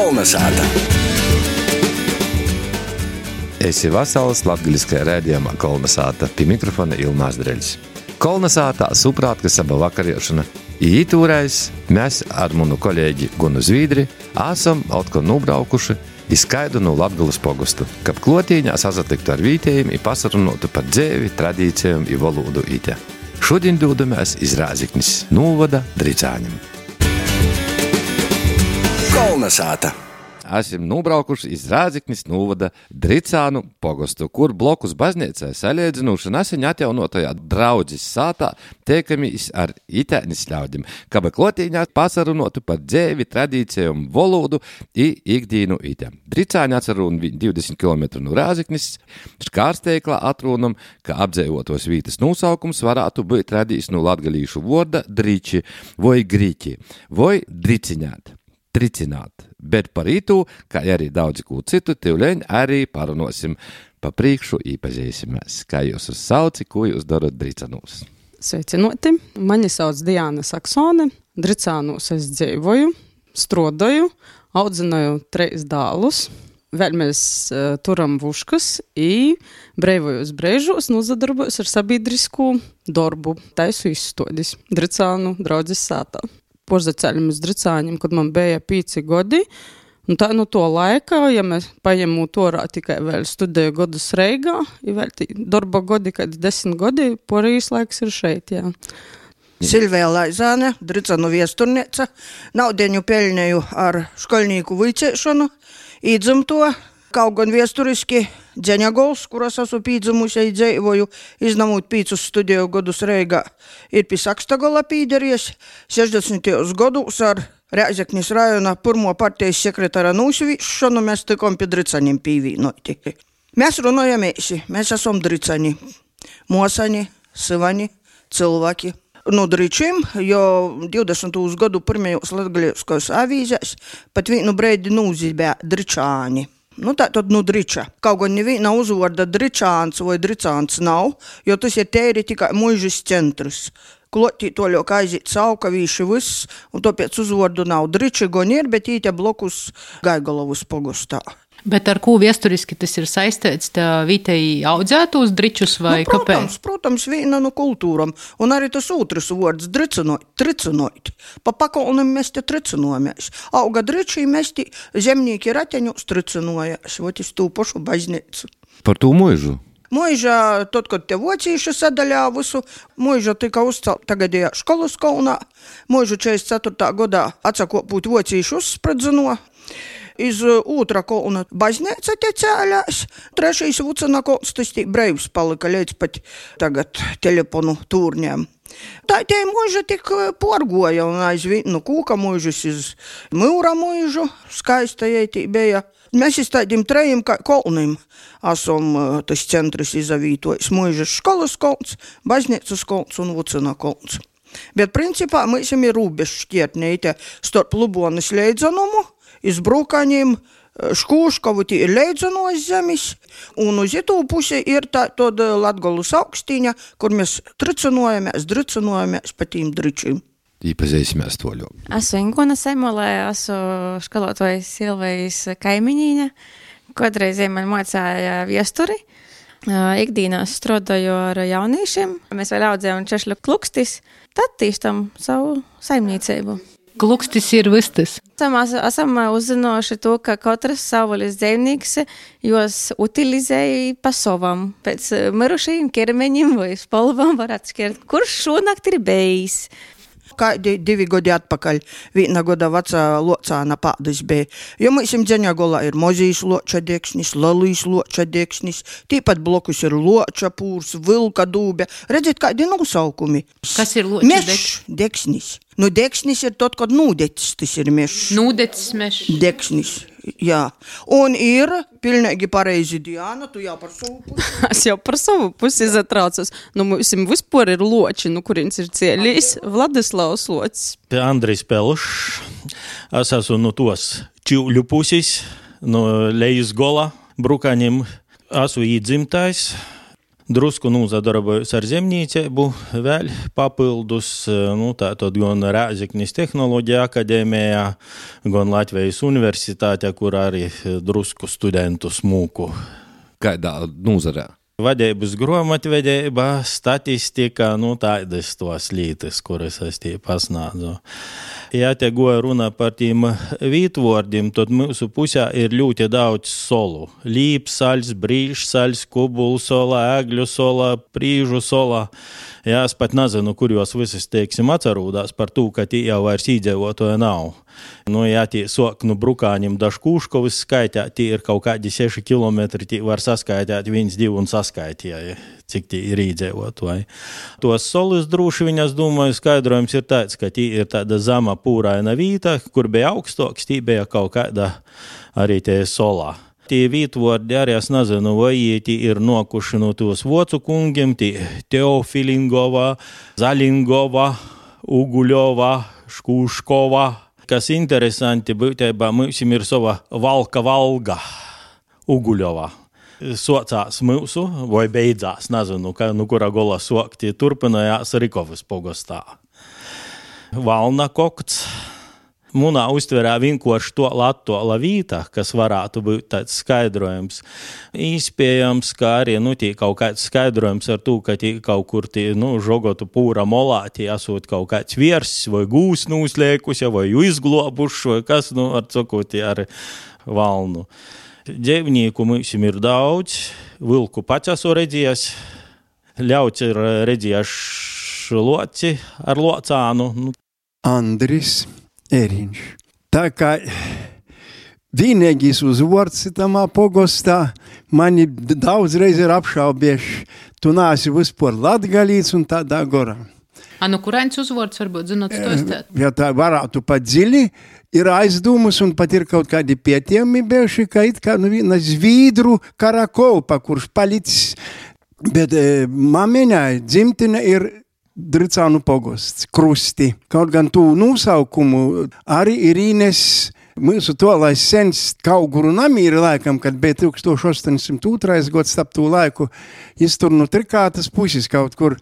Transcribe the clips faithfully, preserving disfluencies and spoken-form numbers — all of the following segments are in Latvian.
Kolnesāta. Esi vasals latgaliskajā rēdījumā Kolnesāta, pie mikrofona Ilmās Dreļs. Kolnesātā suprātka saba vakariešana. Ītūrais mēs ar munu kolēģi Gunu Zvīdri esam atkal nubraukuši izskaidu no Latgulas pogustu, kab klotīņā sasatiktu ar vītējiem i pasarunotu par dzēvi, tradīcijām i valodu ite. Šodien dūdamies iz Rāziknis novada Dricāņam. Kolnesāta. Esam nubraukuši iz Rāziknis novada Dricānu pogustu, kur blokus baznīcai saliedzinuši nesen atjaunotajā draudzes sātā teikamies ar itēnis ļaudim, kaba klotīņā pasarunotu par dzēvi, tradīcijām, valodu i ikdīnu ite. Dricāņi atcerun divdesmit kilometru no Rāziknis, škārsteiklā atrunam, ka apdzēvotos vītas nosaukums varētu būt radījis no latgalīšu vorda driči, voi griķi, voi driciņāt. Tricināt, bet par ītū, kā arī daudzi kū citu, tivleņ arī parunosim pa priekšu īpazīsimies. Kā jūs uz sauci, ko jūs darat Dricanūs? Sveicinoti, mani sauc Diana Saksone, Dricānūs es dzīvoju, strodoju, audzināju treis dālus, vēl mēs uh, turam vuškas i breivojos breižos nozadarbojos ar sabiedrisku darbu, taisu izstodis Dricānu draudzes sātā. Porzaceļam uz Dricāņiem, kad man bija pīci godi. Un tā no to laika, ja mēs paņemu torā tikai vēl studēju godus Reigā, ja vēl tī darba godi, kad desmit godi, porijas laiks ir šeit, jā. Silvija Laizāne, Dricānu viesturniece, naudeņu peļņēju ar školnīku vicēšanu, īdzimto, kaut gan viesturiski Dzeņagols, kuras esmu pīdzimusi, dzīvoju, iznamūt pīcus studēju godus Reigā, ir pie Sakstagola pīderies, sešdesmitajos godus ar Rēzeknis rajona pirmo partijas sekretāra nūsvīšanu mēs tikom pie Dricaņiem pīvīnoti. Mēs runājamies, mēs esam Dricani, mosani, syvani, cilvēki. No Dričim, jo divdesmitos gadu pirmajos latgalieskos avīzēs pat vienu breidi nūzibē Dričāni. Nu tā tad nu Driča. Kaut gan neviena uzvorda Dričāns vai Dricāns nav, jo tas ir tēri tikai muižas centrs. Klotī toļok aiziet saukavīši viss, un tāpēc uzvordu nav Driči gan ir, bet īte blokus Gaigalovas pogustā. Bet ar ko viesturiski tas ir saistīts, tā vītei audzētos dričus vai nu, protams, kāpēc? Protams, viena no kultūram. Un arī tas otrs vārds dricinot, tricinot. Pa pakolnim mēs te tricinojamies. Auga dričī mēs te zemnīki rateņus tricinojas, vot iz tū pošu baznīcu. Par tū muižu? Muiža, tad, kad te vocīši sadaļā visu, muiža tika uzcelt tagadējā školas kaunā. Muižu četrdesmit ceturtā gadā atsakopūt vocīši uzspredzino. Iz otra kolna baznīca te cēlās, trešais vucana kolns, tas tī breivs palika līdz pat tagad telefonu tūrņiem. Tā tie muiža tik porgoja un aizvien no kūka muižas iz mūra muižu, skaista jai tī bija. Mēs iz tādiem trejiem kā kolnim esam tas centrs izavītojis muižas školas kolns, baznīcas kolns un vucana kolns. Bet principā mēs ir rūbežu šķietnīte starp Lubonas leidzanumu, iz Brūkaņiem, Škūškovu tī ir leidzanos zemis, un uz itū pusi ir tā tad Latgolas augstīņa, kur mēs tricinojamies, dricinojamies pa tīm dričim. Īpazīsimies toļo. Esmu Inguna Semolē, esmu školotojas Silvijas kaimiņīņa, kodreizē man mocāja viesturi. Ikdīnās strodoju ar jauniešiem, mēs vēl audzējam češļu klukstis, tad tīstam savu saimniecību. Klukstis ir vistas. Esam, esam uzzinoši to, ka katrs savvaļas dzīvnieks jos utilizēja pa savam. Pēc mirušajiem ķermeņiem vai spalvam var atšķirt, kurš šonakt ir bijis. Kādi divi godi atpakaļ viena goda vecā locāna pādas bija. Jo mēs im Dzeņagolā ir mozīs loča deksnis, lalīs loča deksnis, tīpat blokus ir loča pūrs, vilka dūbe. Redziet, kādi nosaukumi. Kas ir loča mešs, deksnis? Nu, deksnis ir tot, kad nūdecis, tas ir mešs. Nūdecis mešs. Deksnis, jā. Un ir pilnīgi pareizi Diana, tu jau par savu pusi. Es jau par savu pusi izatraucos. Nu, mums vispār ir loči, nu, kurins ir cēlījis Vladislavs locis. Andrijs Pelšs. Es esmu no tos Čivļu pusis, no Lejas gola, Brūkaņiem. Esmu īdzimtais. Drusku nūzadarbojos ar zemnīceibu, vēl papildus, nu, tātad gan Rēzeknis Tehnoloģija akadēmijā, gan Latvijas universitātē, kur arī drusku studentu smūku. Kādā nūzarē? Vadības grāmatvedība, statistika, nu tādas tos lītas, kuras es tie pasnādzu. Ja te goja runa par tiem vītvordiem, tad mūsu pusē ir ļoti daudz solu. Līpsaļs, brīžsaļs, kubulsola, ēgļu sola, prīžu sola. Jā, es pat nezinu, kur jūs visas, teiksim, atcerūdās par to, ka tī jau vairs īdzīvotoja nav. Nu, ja tī sok nu Brukāņiem da Škūškovas skaitā, tī ir kaut kādi seši kilometri, tī var saskaitāt viens, divi un saskaitīja, cik tī ir īdzīvotoja. Tos solus droši viņas, domāju, skaidrojums ir tāds, ka tī ir tāda zama pūraina vīta, kur bija augstoks, tī bija kaut kāda arī tie solā. Tie vītvordi arī es nezinu, vai tī ir nokuši no tos vocu kungiem, tī Teofilingova, Zalingova, Uguļova, Škūškova. Kas interesanti, būtībā mūsim ir sova valka valga, Uguļova. Socās mūsu, vai beidzās, nezinu, ka, nu kura gola sokti, turpinājās Rikovas pogostā. Valna kokts. Munā uztverā vienkārši to latola vīta, kas varētu būt tāds skaidrojums. Īspējams, ka arī, nu, tī kaut kāds skaidrojums ar to, ka tī kaut kur tī, nu, žogotu pūra molā, tī esot kaut kāds viersis vai gūs nūslēkus, vai izglobušs, vai kas, nu, ar cokoti ar valnu. Dzīvnieku mūsim ir daudz, vilku pats esmu redzējis, ļauts ir redzējis loci ar locānu. Nu. Andris Eriņš. Tā kā vienīgais uzvords tamā pogostā, mani daudz reiz ir apšaubieši, tu nāsi vispār latgalīts un tādā gorā. A, nu kurēns uzvords varbūt zinot stostēt? Ja tā varētu pat dziļi, ir aizdomas un pat ir kaut kādi pietiemi bieši, ka it kā nu viena zvīdru karakolpa, kurš palicis, bet e, mamiņai dzimtine ir Dricānu pogosts, Krusti. Kaut gan tū nosaukumu arī ir īnes mūsu to, lai sens Kauguru namīri laikam, kad bija tūkstoš astoņsimt otrais gads stap tū laiku, jis tur nu trikātas puses kaut kur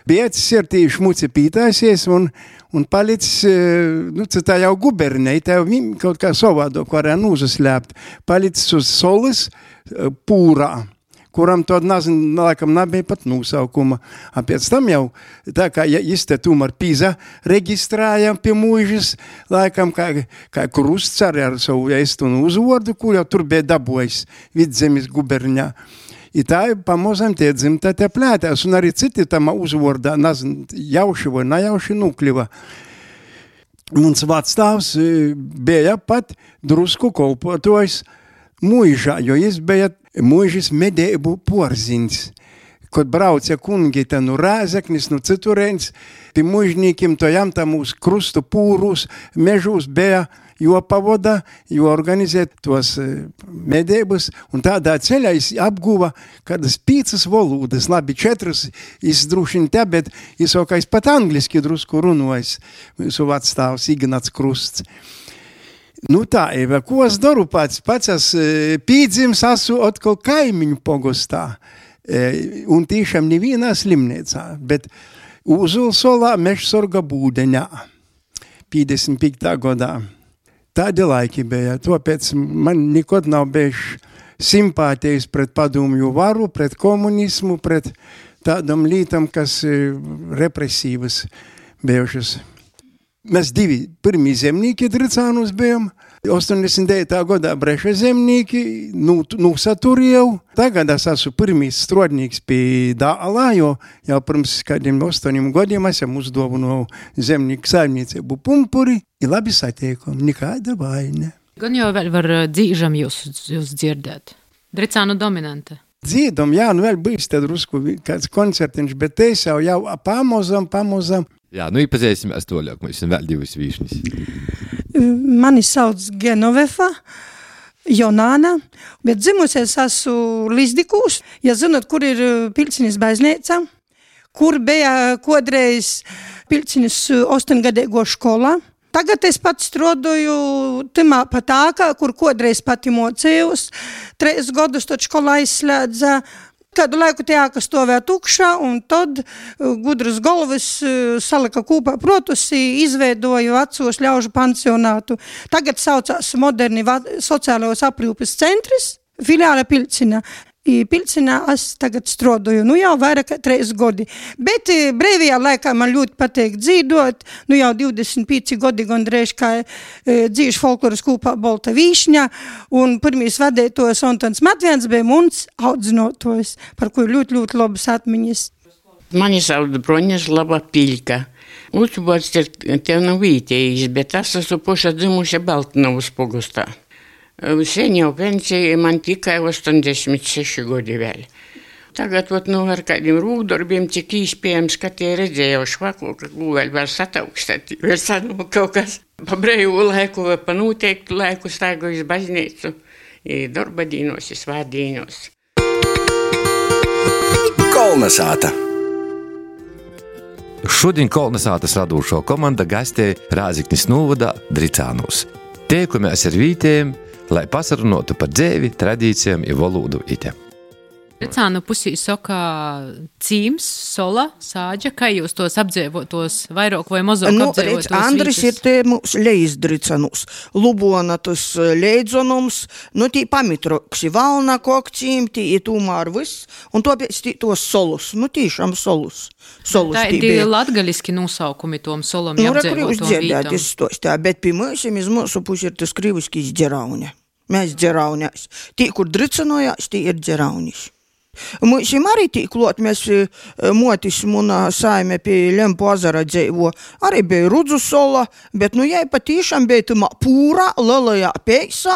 biecis ir tī šmuci pītāsies un, un palicis, nu, tā jau gubernei, tā jau kaut kā savādok varēja nūzaslēpt, palicis uz solis pūrā, kuram to, nezinu, laikam nebija pat nosaukuma. A pēc tam jau, tā kā ja jis te tomēr pīza reģistrāja pie mūžas, laikam kā, kā Krusts arī ar savu eistunu uzvordu, kur jau tur bija dabojis Vidzemes guberņā. I tā pamazam tie dzimta te plētās, un arī citi tam uzvordā, nezinu, jauši vai nejauši nukļiva. Mums vadstāvs bija pat drusku kolpotojs mūžā, jo jis bija mūžis medēbu porziņš. Kad brauca kungi te nu Rēzeknis, nu citurēns, pie mūžnīkiem to jām tam uz krustu pūrus, mežūs bija jo pavoda, jo organizēt tos medēbus, un tādā ceļā es apguva kādas pīcas valodas, labi, četras, es drušiņ te, bet es okais pat angliski drusku runojas, mūsu vadstāvs Ignats Krusts. Nu tā, Eva, ko es daru pats? Pats es pīdzims esmu atkal kaimiņu pogostā, un tiešām nevienā slimnīcā, bet Uzulsolā Mežsorga būdeņā, piecdesmit piektajā gadā. Tādi laiki bija, tāpēc man nekad nav bijuši simpātijas pret padomju varu, pret komunismu, pret tādam lītam, kas represīvas bijušas. Mēs divi pirmī zemnīki Dricānus bijām, astoņdesmit devītajā gadā breša zemnīki, nu, nu saturēju. Tagad es esmu pirmīs strodnīgs pie Dālā, jo jau pirms kādiem astoņiem gadiem esam uzdāvināju zemnīku saimniecību pumpuri, ir labi satiekam, nekāda vaina. Gan jau vēl var dzīžam jūs, jūs dzirdēt. Dricānu dominante. Dzīdam, jā, nu vēl bijis te drusku kāds koncertiņš, bet te jau jau pamozam, pamozam. Jā, nu iepazīsimies toļāk, mēs esam vēl divas vīšnis. Mani sauc Genovefa Jonāna, bet dzimusies esmu Lizdikūs. Ja zinot, kur ir Pilcinis baznīca, kur bija kodreiz Pilcinis ostoņgadīgo skolā. Tagad es pat strodoju timā pat ākā, kur kodreiz pati mocējos. Treis godus to skolā izslēdza. Kādu laiku tie ēka stovēja tukšā, un tad gudras galvas salika kūpā protus, izveidoja vecos ļaužu pansionātu. Tagad saucās moderni sociālajos aprūpes centris, filiāle Pilcinā. I Pilcinā es tagad strodoju, nu jau vairāk kā trīs godi. Bet brīvajā laikā man ļoti patīk dzīdot, nu jau divdesmit pieci godi gandrīz kā e, dzīšu folkloras kūpā Bolta Vīšņa, un pirmīs vadētos Antons Matviens bija mums audzinotos, par ko ļoti, ļoti labas atmiņas. Mani sauc Broņislava Piļka. Uzbods ir tev nav vītējis, bet es esmu poša dzimuša Baltnavas pogustā. Sen jau pensija, man tikai astoņdesmit seši godi vēl. Tagad, ot, nu, ar kādiem rūkdarbiem, cik īspējams, ka tie redzēja švaku, ka vēl var sataukstēt, vēl sanu kaut kas pa brīvu laiku, vai pa noteiktu laiku staigu iz baznīcu, darba dīnos, svārdīnos. Kolnesāta. Šodien Kolnesātas radūšo komanda gastē Rāziknis novada Dricānūs. Tiekamies ar vītējiem, lai pasarunotu par dzēvi, tradīcijām i valodu ite. Dricānu pusī soka cīms, sola, sāģa, kā jūs tos apdzīvotos, vairāk vai mazāk nu, apdzīvotos redz, Andris vītas? Ir te mums leizdricanus, Lubona tas leidzonums, nu tī pamitrokši, valna kokcīm, tī ir tūmār viss, un to pēc tī tos solus, nu tīšām solus. solus Tā ir tie latgaliski nosaukumi tom solom nu, apdzīvotom vītam. Tā, bet pie mūsim iz mūsu puši ir tas kriviskīs dzerauņa. Mēs dzeraunās. Tī, kur dricanojās, tī ir dzeraunis. Mūsim arī tī klot, mēs motis munā saime pie Lempu azara dzeivo. Arī bija Rudzu sola, bet nu jai patīšām bija tumā pūrā, lelajā peisā,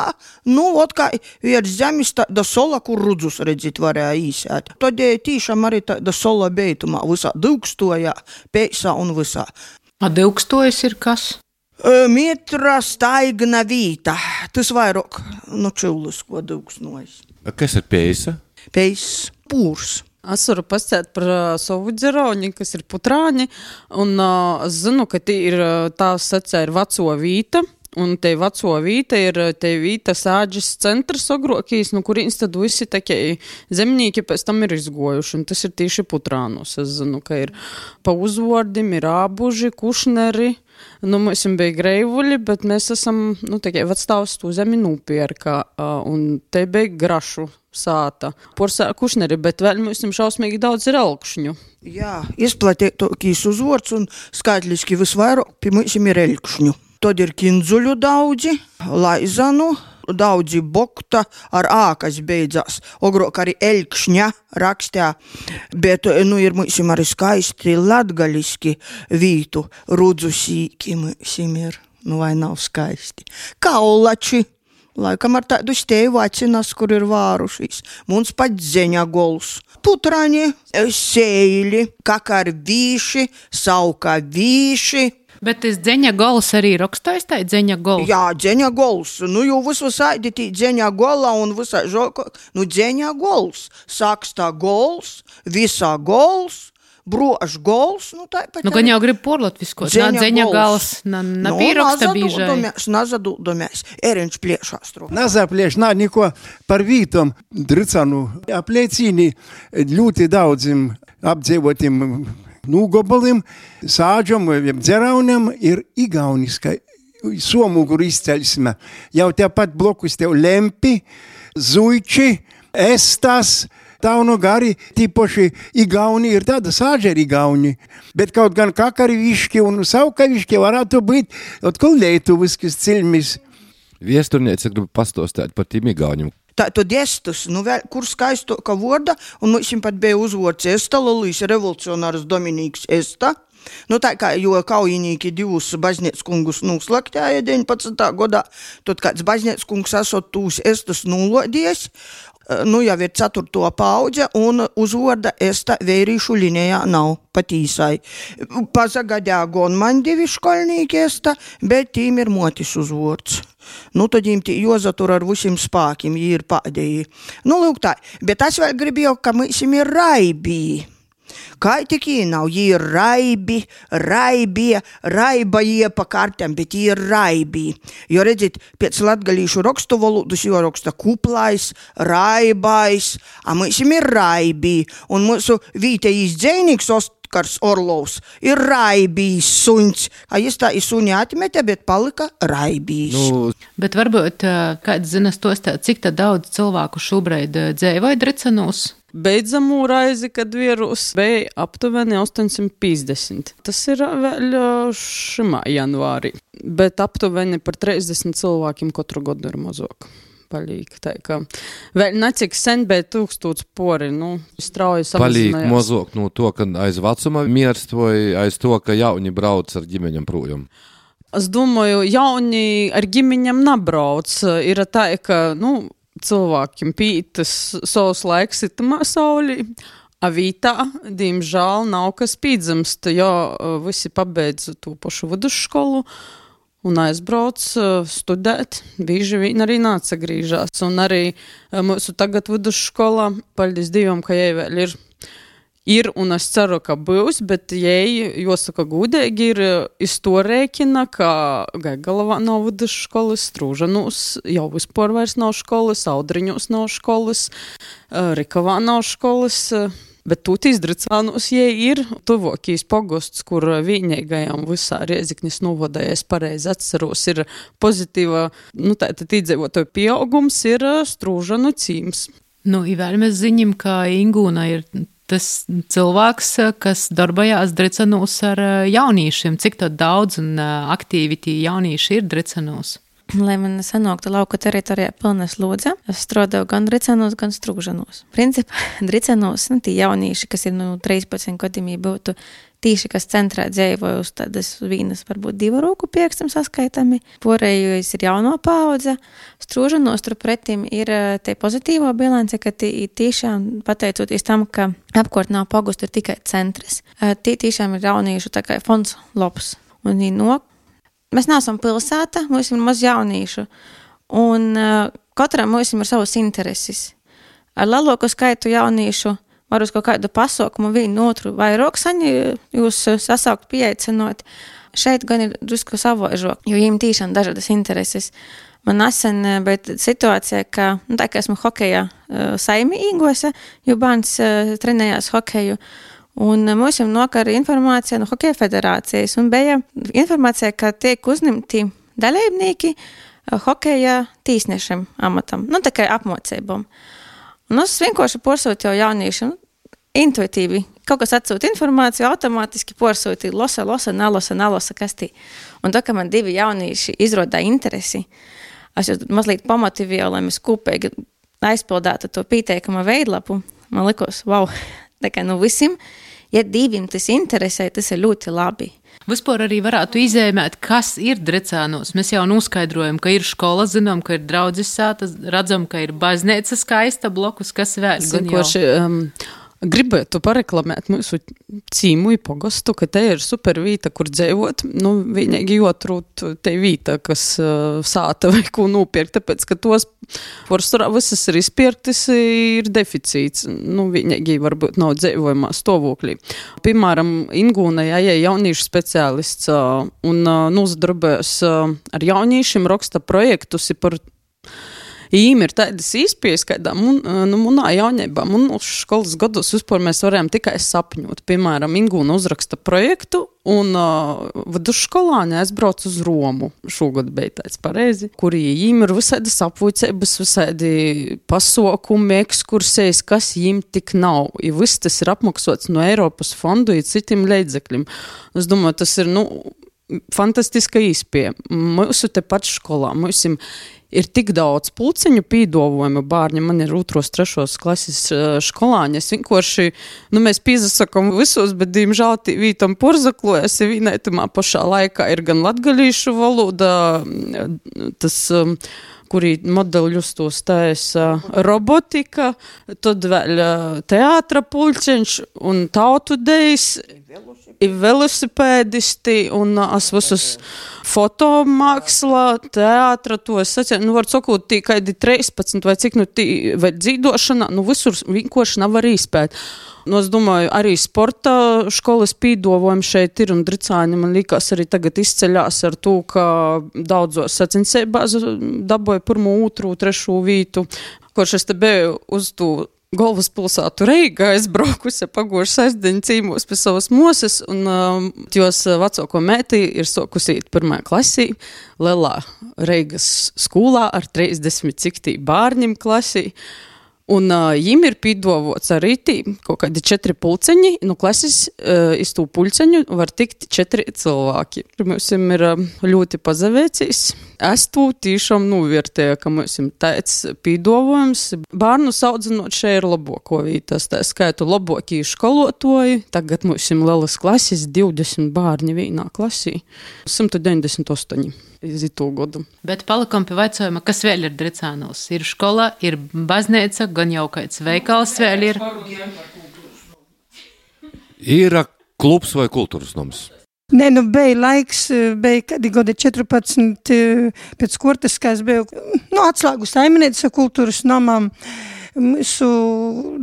nu, ot kā viers zemis tāda sola, kur Rudzus redzit varēja īsēt. Todēļ tīšām arī tāda sola bija tumā visā dūkstojā, peisā un visā. A dūkstojas ir kas? Mitra staigna vīta. Tas vairāk, nu, čulis, ko dūksnojas. Kas ir peisa? Peis, pūrs. Es varu pastāstīt par uh, savu dzerauņu, kas ir putrāņi, un uh, es zinu, ka tī ir, tā sacē ir veco vīta, un te veco vīta ir te vīta sāģis centrs agrokīs, no kurīns tad visi takie zemnīki pēc tam ir izgojuši, un tas ir tīši putrānos. Es zinu, ka ir pa uzvordim, ir ābuži, kušneri, nu, mēs bija greivuļi, bet mēs esam, nu, takie vecstāvs tū zemi nūpierka, uh, un te bija grašu sāta. Porsā kušneri, bet vēl mums šausmīgi daudz ir elkšņu. Jā, izplatītokīs uzvords un skaitliski visvairāk pie mums ir elkšņu. Tad ir kindzuļu daudzi, laizanu, daudzi bokta ar ā, kas beidzās. Ogrok arī elkšņa rakstā, bet, nu, ir mums arī skaisti latgaliski vītu. Rudzu sīki mums ir, nu, vai nav skaisti. Kaulači. Laikam ar tādu steju acinas, kur ir vārušīs. Mums pat dzeņa gols. Putraņi, sēļi, kakarvīši, saukavīši. Bet tas dzeņa gols arī rakstais, tā dzeņa gols? Jā, dzeņa gols. Nu, jau visu saidi tī dzeņa gola un visā žoko. Nu, dzeņa gols. Sakstā gols, visā gols. Brož gols, nu tā pat. Nu, gan jau grib porlatviskot, nā dzeņa gals, nā, nā nu, pīroksta bīžai. Nazadūdomies, eriņš pliešās trūk. Nazaplieš, nā, niko par vītom Dricanu apliecīni ļoti daudzim apdzīvotim nūgobalim, sāģom, dzeraunam ir igauniskai somuguru izceļsme. Jau tepat blokus tev Lempi, Zuiči, Estas, Tauno gari, tīpoši igauni ir tāda sāģa ir igauni, bet kaut gan kakariviški un saukaviški varētu būt atkal lietuviskas cilmis. Viesturniece grib pastostāt par tīm igauņiem. Tā tad estus, nu vēl, kur skaisto ka vorda, un mums pat bija uzvords Esta, Lolīs revolucionārs Dominīks Esta. Nu tā kā, jo kaujinīki divus baznīckungus nūslaktēja deviņpadsmitā godā, tad kāds baznīckungs esot tūs Estus nūlodies, nu jau ir ceturto paudze, un uzvorda Esta veirīšu linijā nav patīsai. Pazagadē gon man divi školnīki Esta, bet tīm ir motis uzvords. Nu, tad jīm tī jozatur ar visiem spākiem, jī ir pādēji. Nu, lūk tā, bet es vēl gribēju, ka mēs ir raibī. Kā tik jī nav, jī ir raibi, raibie, raibajie pa kartēm, bet jī ir raibi. Jo redzit, pēc latgalīšu rakstu valūdus jo raksta kuplais, raibais, a mūsim ir raibi. Un mūsu vītējīs dzēnīgs Oskars Orlovs ir raibīs suņs. A jis tā ir suņi atmetē, bet palika raibīs. Nu. Bet varbūt kāds zinas tos tā, cik tā daudz cilvēku šobrīd dzēvoja Dricanūs? Beidzamū raizi, kad vīrus bija aptuveni astoņsimt piecdesmit. Tas ir vēl šimā janvārī, bet aptuveni par trīsdesmit cilvēkiem katru gadu ir mazāk. Palīk, tā kā vēl necik sen, bet tūkstots pori, nu, strauji samazinājās. Palīk mazāk no to, ka aiz vecuma mirst vai aiz to, ka jauni brauc ar ģimeņam projām? Es domāju, jauni ar ģimeņam nabrauc. Ir tā, ka, nu, cilvēkiem pītas savs laiks itamā saulī, a vītā, diemžēl, nav kas pīdzamst, jo visi pabeidz to pašu vidusskolu un aizbrauc studēt, bieži vien arī nācagrīžās. Un arī mūsu tagad vidusskolā, paldies Dievam, ka jai vēl ir Ir, un es ceru, ka būs, bet jai, jāsaka gudīgi, ir iz to rēķina, ka Gaigalavā nav vidusskolas, Strūžanūs jau vispār vairs nav školas, Audriņos nav školas, Rikavā nav školas, bet tūtīs Dricānūs jai ir tuvokīs pogosts, kur vienīgajām visā Rieziknis novada, ja es pareizi atceros, ir pozitīva, nu tātad iedzīvotāju pieaugums, ir Strūžanu cīms. Nu, i vēl mēs ziņam, ka Ingūna ir tas cilvēks, kas darbojās Dricanūs ar jaunīšiem. Cik to daudz un aktīvi tie jaunieši ir Dricanūs? Lai man sanāktu lauku teritorijā pilna slodze, es strādāju gan Dricanūs, gan Strūžanūs. Principā Dricanūs, nu, tie jaunieši, kas ir, nu, trīspadsmit gadījumī būtu tīši, kas centrā dzīvoja uz tādas vīnas, varbūt divu roku piekstam saskaitami. Porējais ir jauno paudze. Strūžanos tur pretim ir te pozitīvo bilance, ka tī tiešām pateicoties tam, ka apkārt nav pogustu, ir tikai centrs. Tī tiešām ir jauniešu tā kā fonds labs. Un no, mēs neesam pilsēta, mums ir maz jauniešu. Un katram mums ir savas intereses. Ar lielāko skaitu jauniešu var uz kaut kādu pasaukumu vienu otru vairāk saņi jūs sasaukt pieaicinot. Šeit gan ir drusku savaižok, jo viņiem tīšām dažādas intereses. Man nesen bija situācija, ka, nu, tā kā esmu hokeja saimi īgose, jo bērns trenējās hokeju, un mums jau nokar informācija no Hokeja federācijas, un bija informācija, ka tiek uzņemti dalībnieki hokeja tīsniešiem amatam, nu, tā kā apmocībām. Un es vienkārši porsūtīju jauniešiem, intuitīvi, kaut kas atsūt informāciju, automātiski porsūtīju, losa, losa, nalosa, nalosa, kas tī. Un tā, ka man divi jaunieši izrodā interesi, es jau mazliet pamotivēju, lai mēs kopīgi aizpildātu to pieteikuma veidlapu, man likos, wow, tā kā nu visiem, ja diviem tas interesē, tas ir ļoti labi. Vispār arī varētu izēmēt, kas ir Dricānos. Mēs jau noskaidrojam, ka ir skola, zinām, ka ir draudzes sāta, redzam, ka ir baznīca skaista blokus, kas vēl. Zinkoši, um, gribētu pareklamēt mūsu cīmu i pogostu, ka te ir super vīta, kur dzēvot. Nu, vienīgi jotrūt te vīta, kas uh, sāta vai ko nopirkt, tāpēc, ka tos forsturā visas ir izpirktas, ir deficīts. Nu, vienīgi varbūt nav dzēvojumā stāvoklī. Piemēram, Ingūna, ja ir jauniešu speciālists uh, un uh, nozadarbojas uh, ar jauniešiem, raksta projektus par Īm ir tādas īspējas, kādā mun, nu, munā jaunībā, munos školas gados vispār mēs varējām tikai sapņot. Piemēram, Ingūna uzraksta projektu un uh, vidusskolāņi aizbrauc uz Romu. Šogad bija tāds pareizi, kur īm ir visādas apvuicības, visādi pasaukumi, ekskursijas, kas īm tik nav. I viss tas ir apmaksots no Eiropas fondu i citiem līdzekļiem. Es domāju, tas ir, nu, fantastiska īspēja. Mūsu te pat skolā, mūsim ir tik daudz pulciņu pīdovojumu bārņi, man ir otros, trešos klases skolāņi, es vienkārši, nu, mēs pīzasakam visos, bet, diemžēl, vītam porzaklojas, vienaitumā pašā laikā ir gan latgalīšu valoda, tas, kurī modeļus to stājas robotika, tad vēl teātra pulciņš un tautu dejs, ir velosipēdisti un es visus fotomākslā, teātra, to es sacīju, nu var sakot, tī kādi trīspadsmit vai cik, nu tī, vai dzīdošana, nu visur vienkārši nav arī izpēt. Nu, es domāju, arī sporta školas pīdovojumi šeit ir, un Dricāni, man liekas, arī tagad izceļās ar to, ka daudzos sacensībās dabūja pirmo, otru, trešu vītu, kurš es te biju uz to galvaspilsētu Reigā, es braukusi pagošu sestdiņu cīmos pie savas moses, un um, jos vecāko mētī ir sokusi īt pirmajā klasī, lielā Reigas skolā ar trīsdesmit cik tī bārņim klasī. Un uh, jim ir pīdovots arī tī kaut kādi četri pulceņi, no klases uh, iz tū pulceņu var tikt četri cilvēki. Mums ir uh, ļoti pazavēcīs. Es tū tīšām novērtēju, ka mums ir tāds pīdovojums. Bārnu saudzinot šeit ir laboko vītas, tā skaitu labokī školotoji. Tagad mums ir lielas klases, divdesmit bārņi vienā klasī, simt deviņdesmit astoņi. Bet palikam pie vaicojuma, kas vēl ir Dricānos? Ir škola, ir baznīca, gan jau kāds veikals vēl ir. Ir klubs vai kultūras noms? Nē, nu, bija laiks, bija kādi gadi četrpadsmit pēc kurtas, kā es biju, nu, atslēgu saimniece kultūras nomam. Mūsu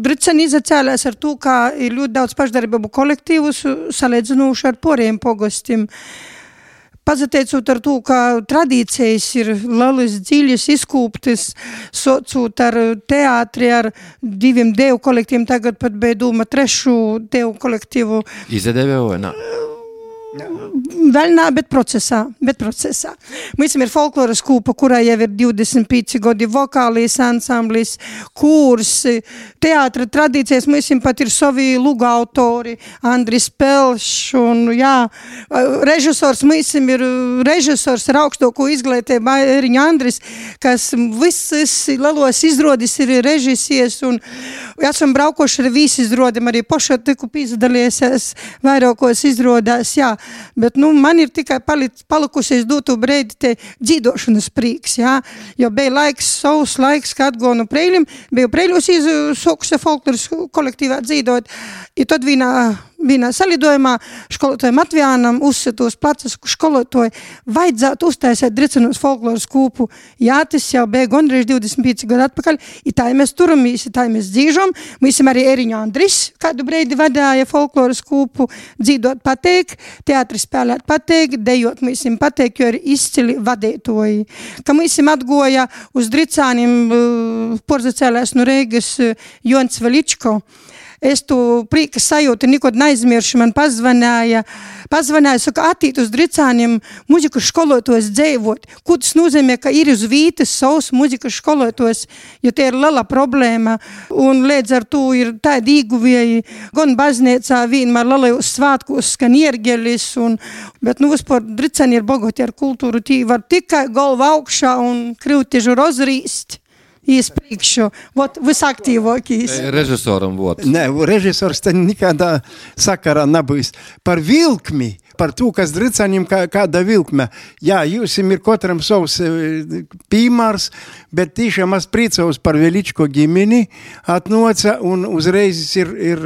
Dricani izacēlēs ar to, ka ir ļoti daudz pašdarbību kolektīvus, salīdzinoši ar poriem pogostim. Pazateicot ar to, ka tradīcijas ir lielas, dziļas, izkūptas, socot ar teātri, ar diviem devu kolektīviem, tagad pat bija doma trešu devu kolektīvu. Izadevē vai nā? Vēl nā, bet procesā, bet procesā. Mums ir folkloras kūpa, kurā jau ir divdesmit pieci gadi, vokālijas ansamblis, kurs, teātra tradīcijas, mums pat ir savi luga autori, Andris Pelšs, un jā, režisors, mums ir režisors ar augstoko izglītību, Eriņa Andris, kas visas lielos izrodis ir režisies, un esam braukoši ar visi izrodam, arī poša tiku pīzdaliesies vairākos izrodās, jā. Bet, nu, man ir tikai palic, palikusies dotu breidi te dzīdošanas prīks, jā, jo bija laiks, savs laiks, kad gonu Preiļim, biju Preiļos izsokusi folkloras kolektīvā dzīdot, i tad vienā, vienā salidojumā školotājiem Matvijānam uzsitos placas školotāji, vajadzētu uztaisēt Dricanos folkloras kūpu, jā, tas jau bija gondrīz divdesmit pieci gadu atpakaļ, i tā mēs turamies, i tā mēs dzīžam, mēs arī Eriņa Andris, kādu breidi vadāja folkloras kūpu, dzīdot pateik, teātri spēlēt pateik, dejot mēs pateik, jo ir izcili vadētoji. Ka mēs atgoja uz Dricānim porzacēlēs no Reigas Jons Veličko. Es tu prīka sajūtu nikod neaizmiršu, man pazvanāja, pazvanāja, saka, attīt uz Dricāniem muzikas školotos dzēvot. Ko tas nozīmē, ka ir uz vītas savs muzikas školotos, jo tie ir liela problēma, un līdz ar to ir tādi īguvieji, gan baznīcā vienmēr lielajos svātkos skan iergelis, un, bet nu vispār Dricāni ir bogoti ar kultūru, tī var tikai galva augšā un krivtiežu rozrīst. Iespriekšu, vot visaktīvākīs. Režisoram vot. Nē, režisors te nekādā sakarā nebūs. Par vilkmi, par to, kas Dricanim kā, kāda vilkme. Jā, jūs ir katram savs pīmārs, bet tiešām es priecājos par Veličko ģimeni atnoca, un uzreiz ir, ir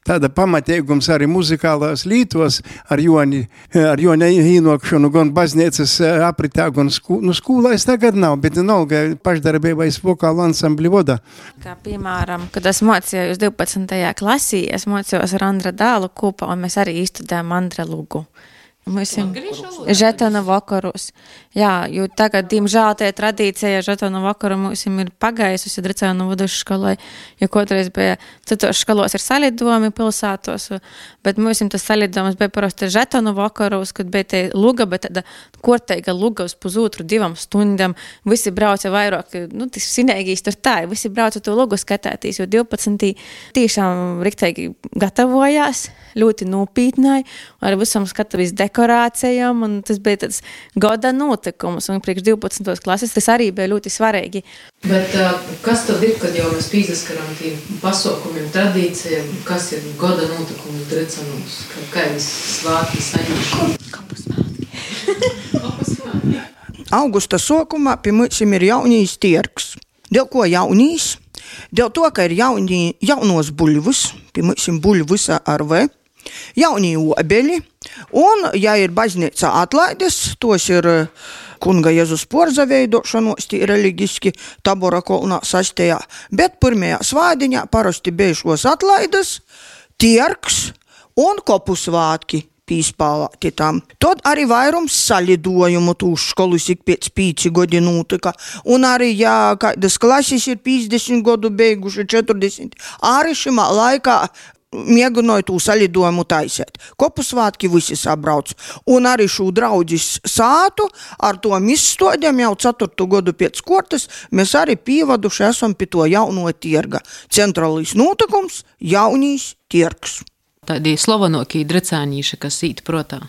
tāda pamateigums arī muzikālās lītos ar Joni, ar Joni ienokšanu gan baznīcas apritā, gan skū, nu, skolā es tagad nav, bet nolga pašdarbībais vokālu ansambli voda. Kā piemēram, kad es mocījos divpadsmitajā klasī, es mocījos ar Andra dālu kopā, un mēs arī izstudējam Andra lugu. Mēs esam žetona vakarus. Jā, jo tagad, diemžēl, tie tradīcija žetona vakaru mums ir pagaisusi Dricānu vadušu skolai, jo kotreiz bija citos skolos ir salidojumi pilsētos, bet mums tas salidojums bija parasti žetona vakarus, kad bija tie luga, bet tāda korteiga luga uz pusotru divam stundam. Visi brauca vairāk, nu, tas sinēgīs tur tā, visi brauca to lugu skatētīs, jo divpadsmit tiešām riktīgi gatavojās, ļoti nopītnāji, ar visam skatavīs dekorācijām, un tas bija tāds gada notikums, un priekš divpadsmitos klases tas arī bija ļoti svarīgi. Bet uh, kas tad ir, kad jau mēs pīzaskaram tiem pasaukumiem, tradīcijām, kas ir gada notikums Dricanos, kādas svātki saņemšana? Kapu svātki. Kapu svātki. Augusta sokumā pie mums ir jaunīs tirgs. Dēļ ko jaunīs? Dēļ to, ka ir jaunī, jaunos buļvus, pie mums ir buļvus ar V, jaunie obeļi, un, ja ir baznīca atlaides, tos ir kunga Jēzus porza veidošanos, tī religiski Tabora kolnā sastajā, bet pirmajā svādiņā parasti beišos atlaidas, tierks un kopu svātki pīspālāti tam. Tad arī vairums salidojumu tūs školus ik pēc pīci godi notika. Un arī, ja kādas klases ir piecdesmit godu beiguši, četrdesmit, arī šimā laikā mēģināju tū salidojumu taisēt. Kopu svātki visi sabrauc. Un arī šo draudzis sātu ar to izstodiem jau ceturtu godu pēc kortas mēs arī pīvaduši esam pie to jauno tirga. Centrālīs notikums – jaunīs tirgs. Tādi slovenokī drecānīši, kas īt protā.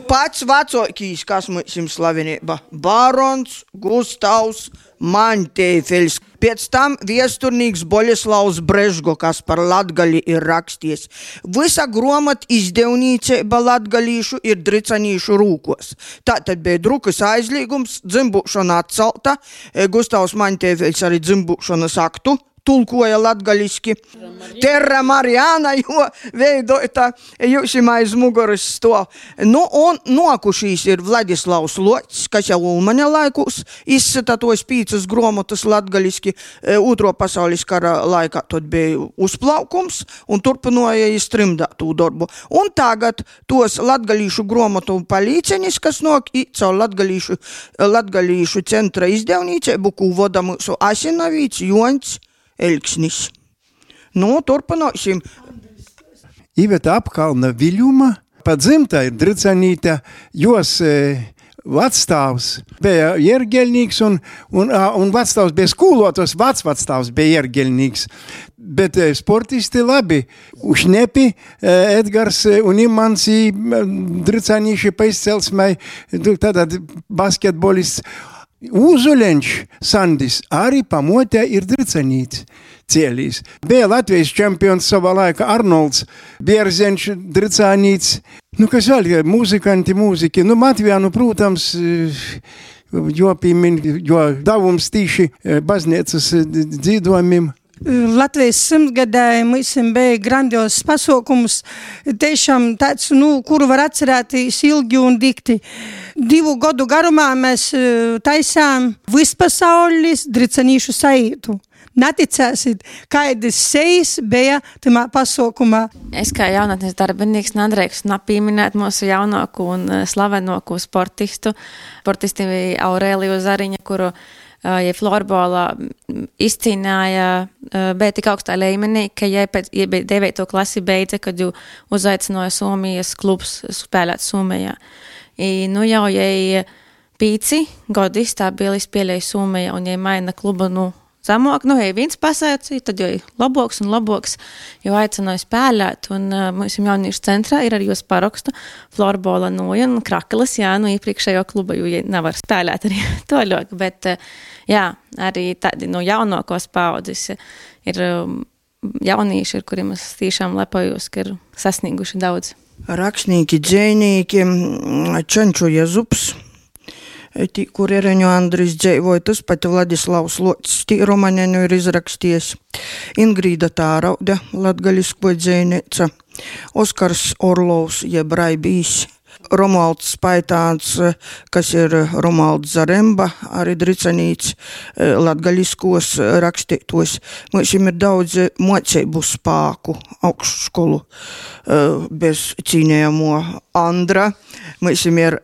Pats vecokīs, kas mums ir slavenība, Barons Gustavs Mantēfels. Pēc tam viesturnīgs Boļeslavs Brežgo, kas par latgali ir raksties. Visa gromata izdevnīceiba latgalīšu ir dricanīšu rūkos. Tātad bija drukas aizliegums, dzimbušana atcelta, Gustavs Mantēfels arī dzimbušanas aktu tulkoja latgaliski. Terra Mariana, jo veidota jūsim aiz muguras stov. Nu, un nokušīs ir Vladislavs Loķis, kas jau Ulmaņa laikūs izsita tos pīcas gromotas latgaliski. Otro pasaules kara laikā tad bija uzplaukums un turpinoja iztrimdāt tū darbu. Un tagad tos latgalīšu gromotu palīcenis, kas nok i caur latgalīšu, latgalīšu centra izdevnīceibu, kū voda mūsu Asinavīts, Joņs, Elksnis. Nu, turpināsim. Iveta Apkalna Viļuma, pa dzimta ir Dricanīte, jos e, vecstāvs bija iergeļnīgs un, un, un vecstāvs bija skūlotos, vecvecstāvs bija iergeļnīgs. Bet e, sportisti labi, Ušnepi, e, Edgars un Imants i Dricanīši pa izcelsmai, tātad basketbolists. Uzuļenš Sandis arī pamotē ir Dricanīts cielīs. Bija Latvijas čempions savā laikā Arnolds Bierzenš Dricanīts. Nu, kas vēl, muzikanti, mūziki. Nu, Matvijānu, protams, jo pīmin, jo davums tīši baznīcas dzīdojumim. Latvijas simtgadē mums bija grandios pasaukums, tiešām tāds, nu, kuru var atcerēties ilgi un dikti. Divu gadu garumā mēs taisām vispasaules dricanīšu saītu. Neticēsit, kādas sejas bija tamā pasaukumā. Es kā jaunatnes darbinīgs nedrīkstu nepieminēt mūsu jaunāko un slavenāko sportistu, sportisti Aurēliju Zariņa, kuru ja florbolā izcīnāja, bija tik augstā līmenī, ka ja bija devīto klasi beidza, kad jau uzaicināja Somijas klubs spēlēt Somijā. I, nu jau, ja pīci godi stabili spēlēja Somijā un ja maina klubu, nu, zamok, nu, ja viens pasācīja, tad jau labāks un labāks, jau aicināja spēlēt, un uh, mums jauniešu centrā ir arī jūs parakstu florbola noja un Krakelis, jā, nu, iepriekšējo kluba, jo ja nevar spēlēt arī toļok, bet, uh, jā, arī tādi, nu, jaunākos paudzes ir um, jaunieši, ar kuriem es tiešām lepojos, ka ir sasnieguši daudz. Rakstnieki, dzejnieki, Čenču Jezups, tī, kur Ereņu Andris dzeivoja, tas pati Vladislavs Loķis, tī romaneņu ir izraksties. Ingrīda Tāraude, latgalisko dzejnīca, Oskars Orlovs, jeb Raibīs, Romualds Spaitāns, kas ir Romualds Zaremba, arī Dricanīts, latgaliskos rakstītos. Mums ir daudz moceibu spāku augstskolu bez cīnējamo Andra. Mums ir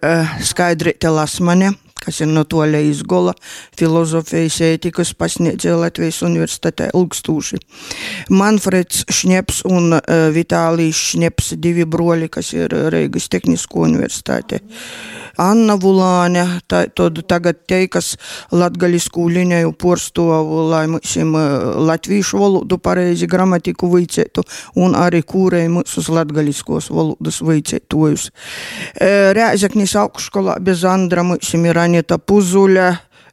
Skaidrīte Lasmane, kas ir no toļa izgola, filozofijas ētikas pasniedzēja Latvijas universitātē ilgstūši. Manfreds Šņeps un uh, Vitālijs Šņeps, divi broļi, kas ir Reigas tehnisko universitātē. Anna Vulāne, tā, tad tagad teikas latgaliskū liņeju porstovu, lai mūsim uh, latvīšu valodu pareizi gramatiku vicētu un arī kūrei mūsus latgaliskos valodas vicētojus. Uh, Rēzeknis augšskolā bez Andra mūsim ir Anita Puzuļa,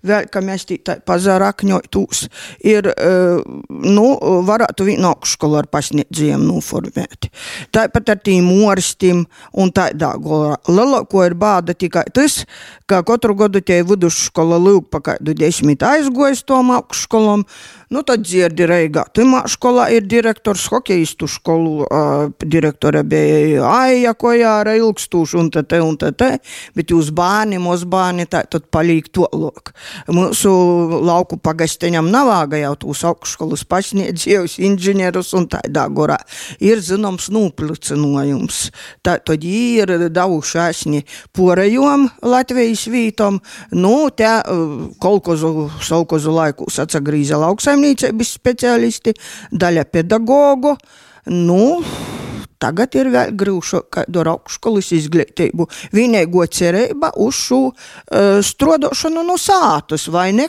vēl, ka mēs tī tā pazarakņojtūs, ir, nu, varētu vienu augšskolu ar pasniedzējiem noformēt. Tāpat ar tīm orstim un tādā golā. Lielāko ir bāda tikai tas, ka katru gadu tie vidusskola lūk pa kādu desmit aizgojas tom augšskolom, Nu, tad dzirdi Reigā. Timā skolā ir direktors, hokeistu skolu uh, direktore bija Aija Kojāra ilgstūši un te te un te te, bet jūs bāni, mūs bāni, tā tad palīk to lok. Mūsu lauku pagasteņam navāga jau tūs augšskolas pasniedzējus, inženierus un tādā gorā. Ir zinoms nūplicinojums. Tā tad ir davušāsni porejom Latvijas vītom. Nu, te uh, kolkozu, saukozu laikus atsagrīza lauksaimniecības speciālisti, daļa pedagogu. Nu, tagad ir vēl grūšo kādu augšskolas izglītību. Vienīgo cerība uz šo uh, strodošanu no sātas, vai ne?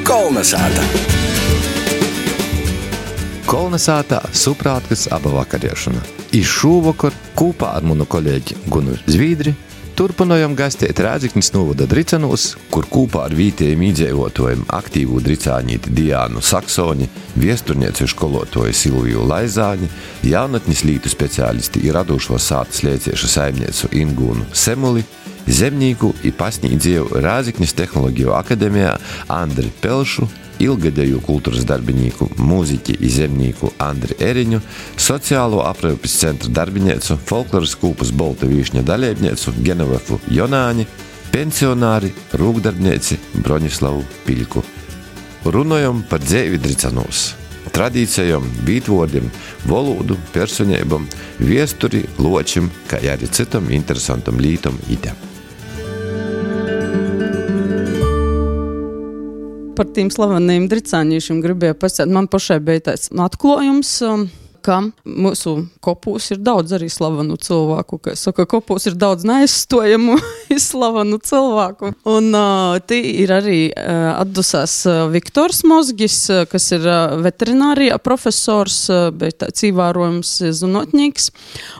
Kolnesāta. Kolnesātā suprātkas aba vakariešana. I šūvakar kūpā ar manu kolēģi Gunu Zvīdri turpinājām gastēt Rēzeknis novada Dricanūs, kur kūpā ar vītējiem iedzīvotājiem aktīvu dricānīti Diānu Saksoni, viesturnieci školotoju Silviju Laizāni, jaunatnis lītu speciālisti ir radušo sātas lieciešu saimniecu Ingūnu Semuli, zemnīku i pasnīdzēju Rēzeknis tehnoloģiju akademijā Andri Pelšu, ilgadēju kultūras darbinīku, mūziķi i zemnīku Andri Eriņu, sociālo aprūpes centra darbiniecu, folkloras kūpas Bolta Vīšņa dalībniecu Genovefu Jonāni, pensionāri, rūkdarbnieci Broņislavu Piļku. Runājam par dzēvi Dricanūs, tradīcijām, vītvordiem, valodu, personībām, viesturi, ločim, kā arī citam interesantam lītam ite. Par tiem slaveniem dricāņīšiem gribēju pasēt. Man pašai bija tāds atklājums, ka mūsu kopūs ir daudz arī slavenu cilvēku. Kā saka, kopūs ir daudz neaizstojamu slavenu cilvēku. Un uh, tī ir arī uh, atdusās uh, Viktors Mozgis, uh, kas ir uh, veterinārija profesors, uh, bet tāds īvērojums zinotņīgs.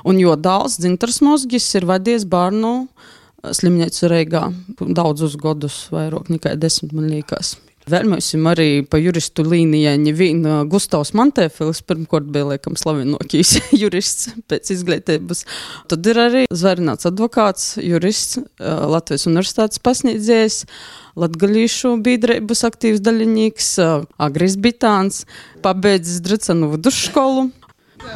Un jo dāls Dzintars Mozgis ir vadies bērnu slimnīcu Reigā daudzus godus, vairāk nekā desmit, man liekas. Vēl mēs arī pa juristu līnijai nevien Gustavs Mantēfils, pirmkort bija liekam slavenokīs jurists pēc izglītības. Tad ir arī Zvērināts advokāts, jurists, Latvijas universitātes pasniedzējs, latgalīšu biedrības aktīvs daļinīgs, Agris Bitāns, pabeidzis Dricanu vidusskolu.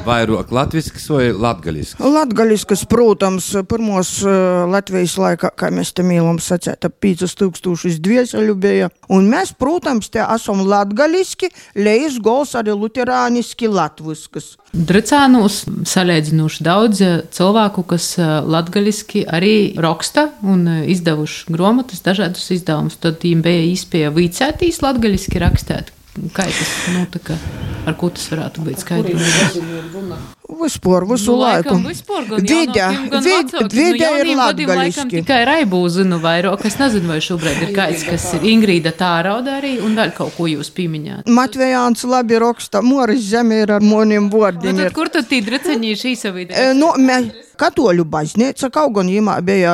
Vairāk latviskas vai latgaliskas? Latgaliskas, protams, pirmos uh, Latvijas laikā, kā mēs te mīlam sacēt, ap piecus tūkstošus dvieseļu bija. Un mēs, protams, te esam latgaliski, lejas gols arī luterāniski latviskas. Dricānūs salēdzinoši daudz cilvēku, kas latgaliski arī raksta un izdevuši gromatas, dažādus izdevumus. Tad viņiem bija īspēja vicētīs latgaliski rakstēt. Kā tas notika? Ar ko tas varētu būt skaidrs? Vispār, visu laiku. Vidē, vidē ir latgaliski. Tikai Raibu zinu vairāk, es nezinu, vai šobrīd ir kāds, kas ir Ingrīda Tārauda arī, un vēl kaut ko jūs pieminējāt. Matvejāns labi raksta, Moris Zeme ir ar moniem vārdiem. Nu, tad kur tad tī driceņīši īsavīdē? E, no, mē, Katoļu baznīca, kaut gan jimā bija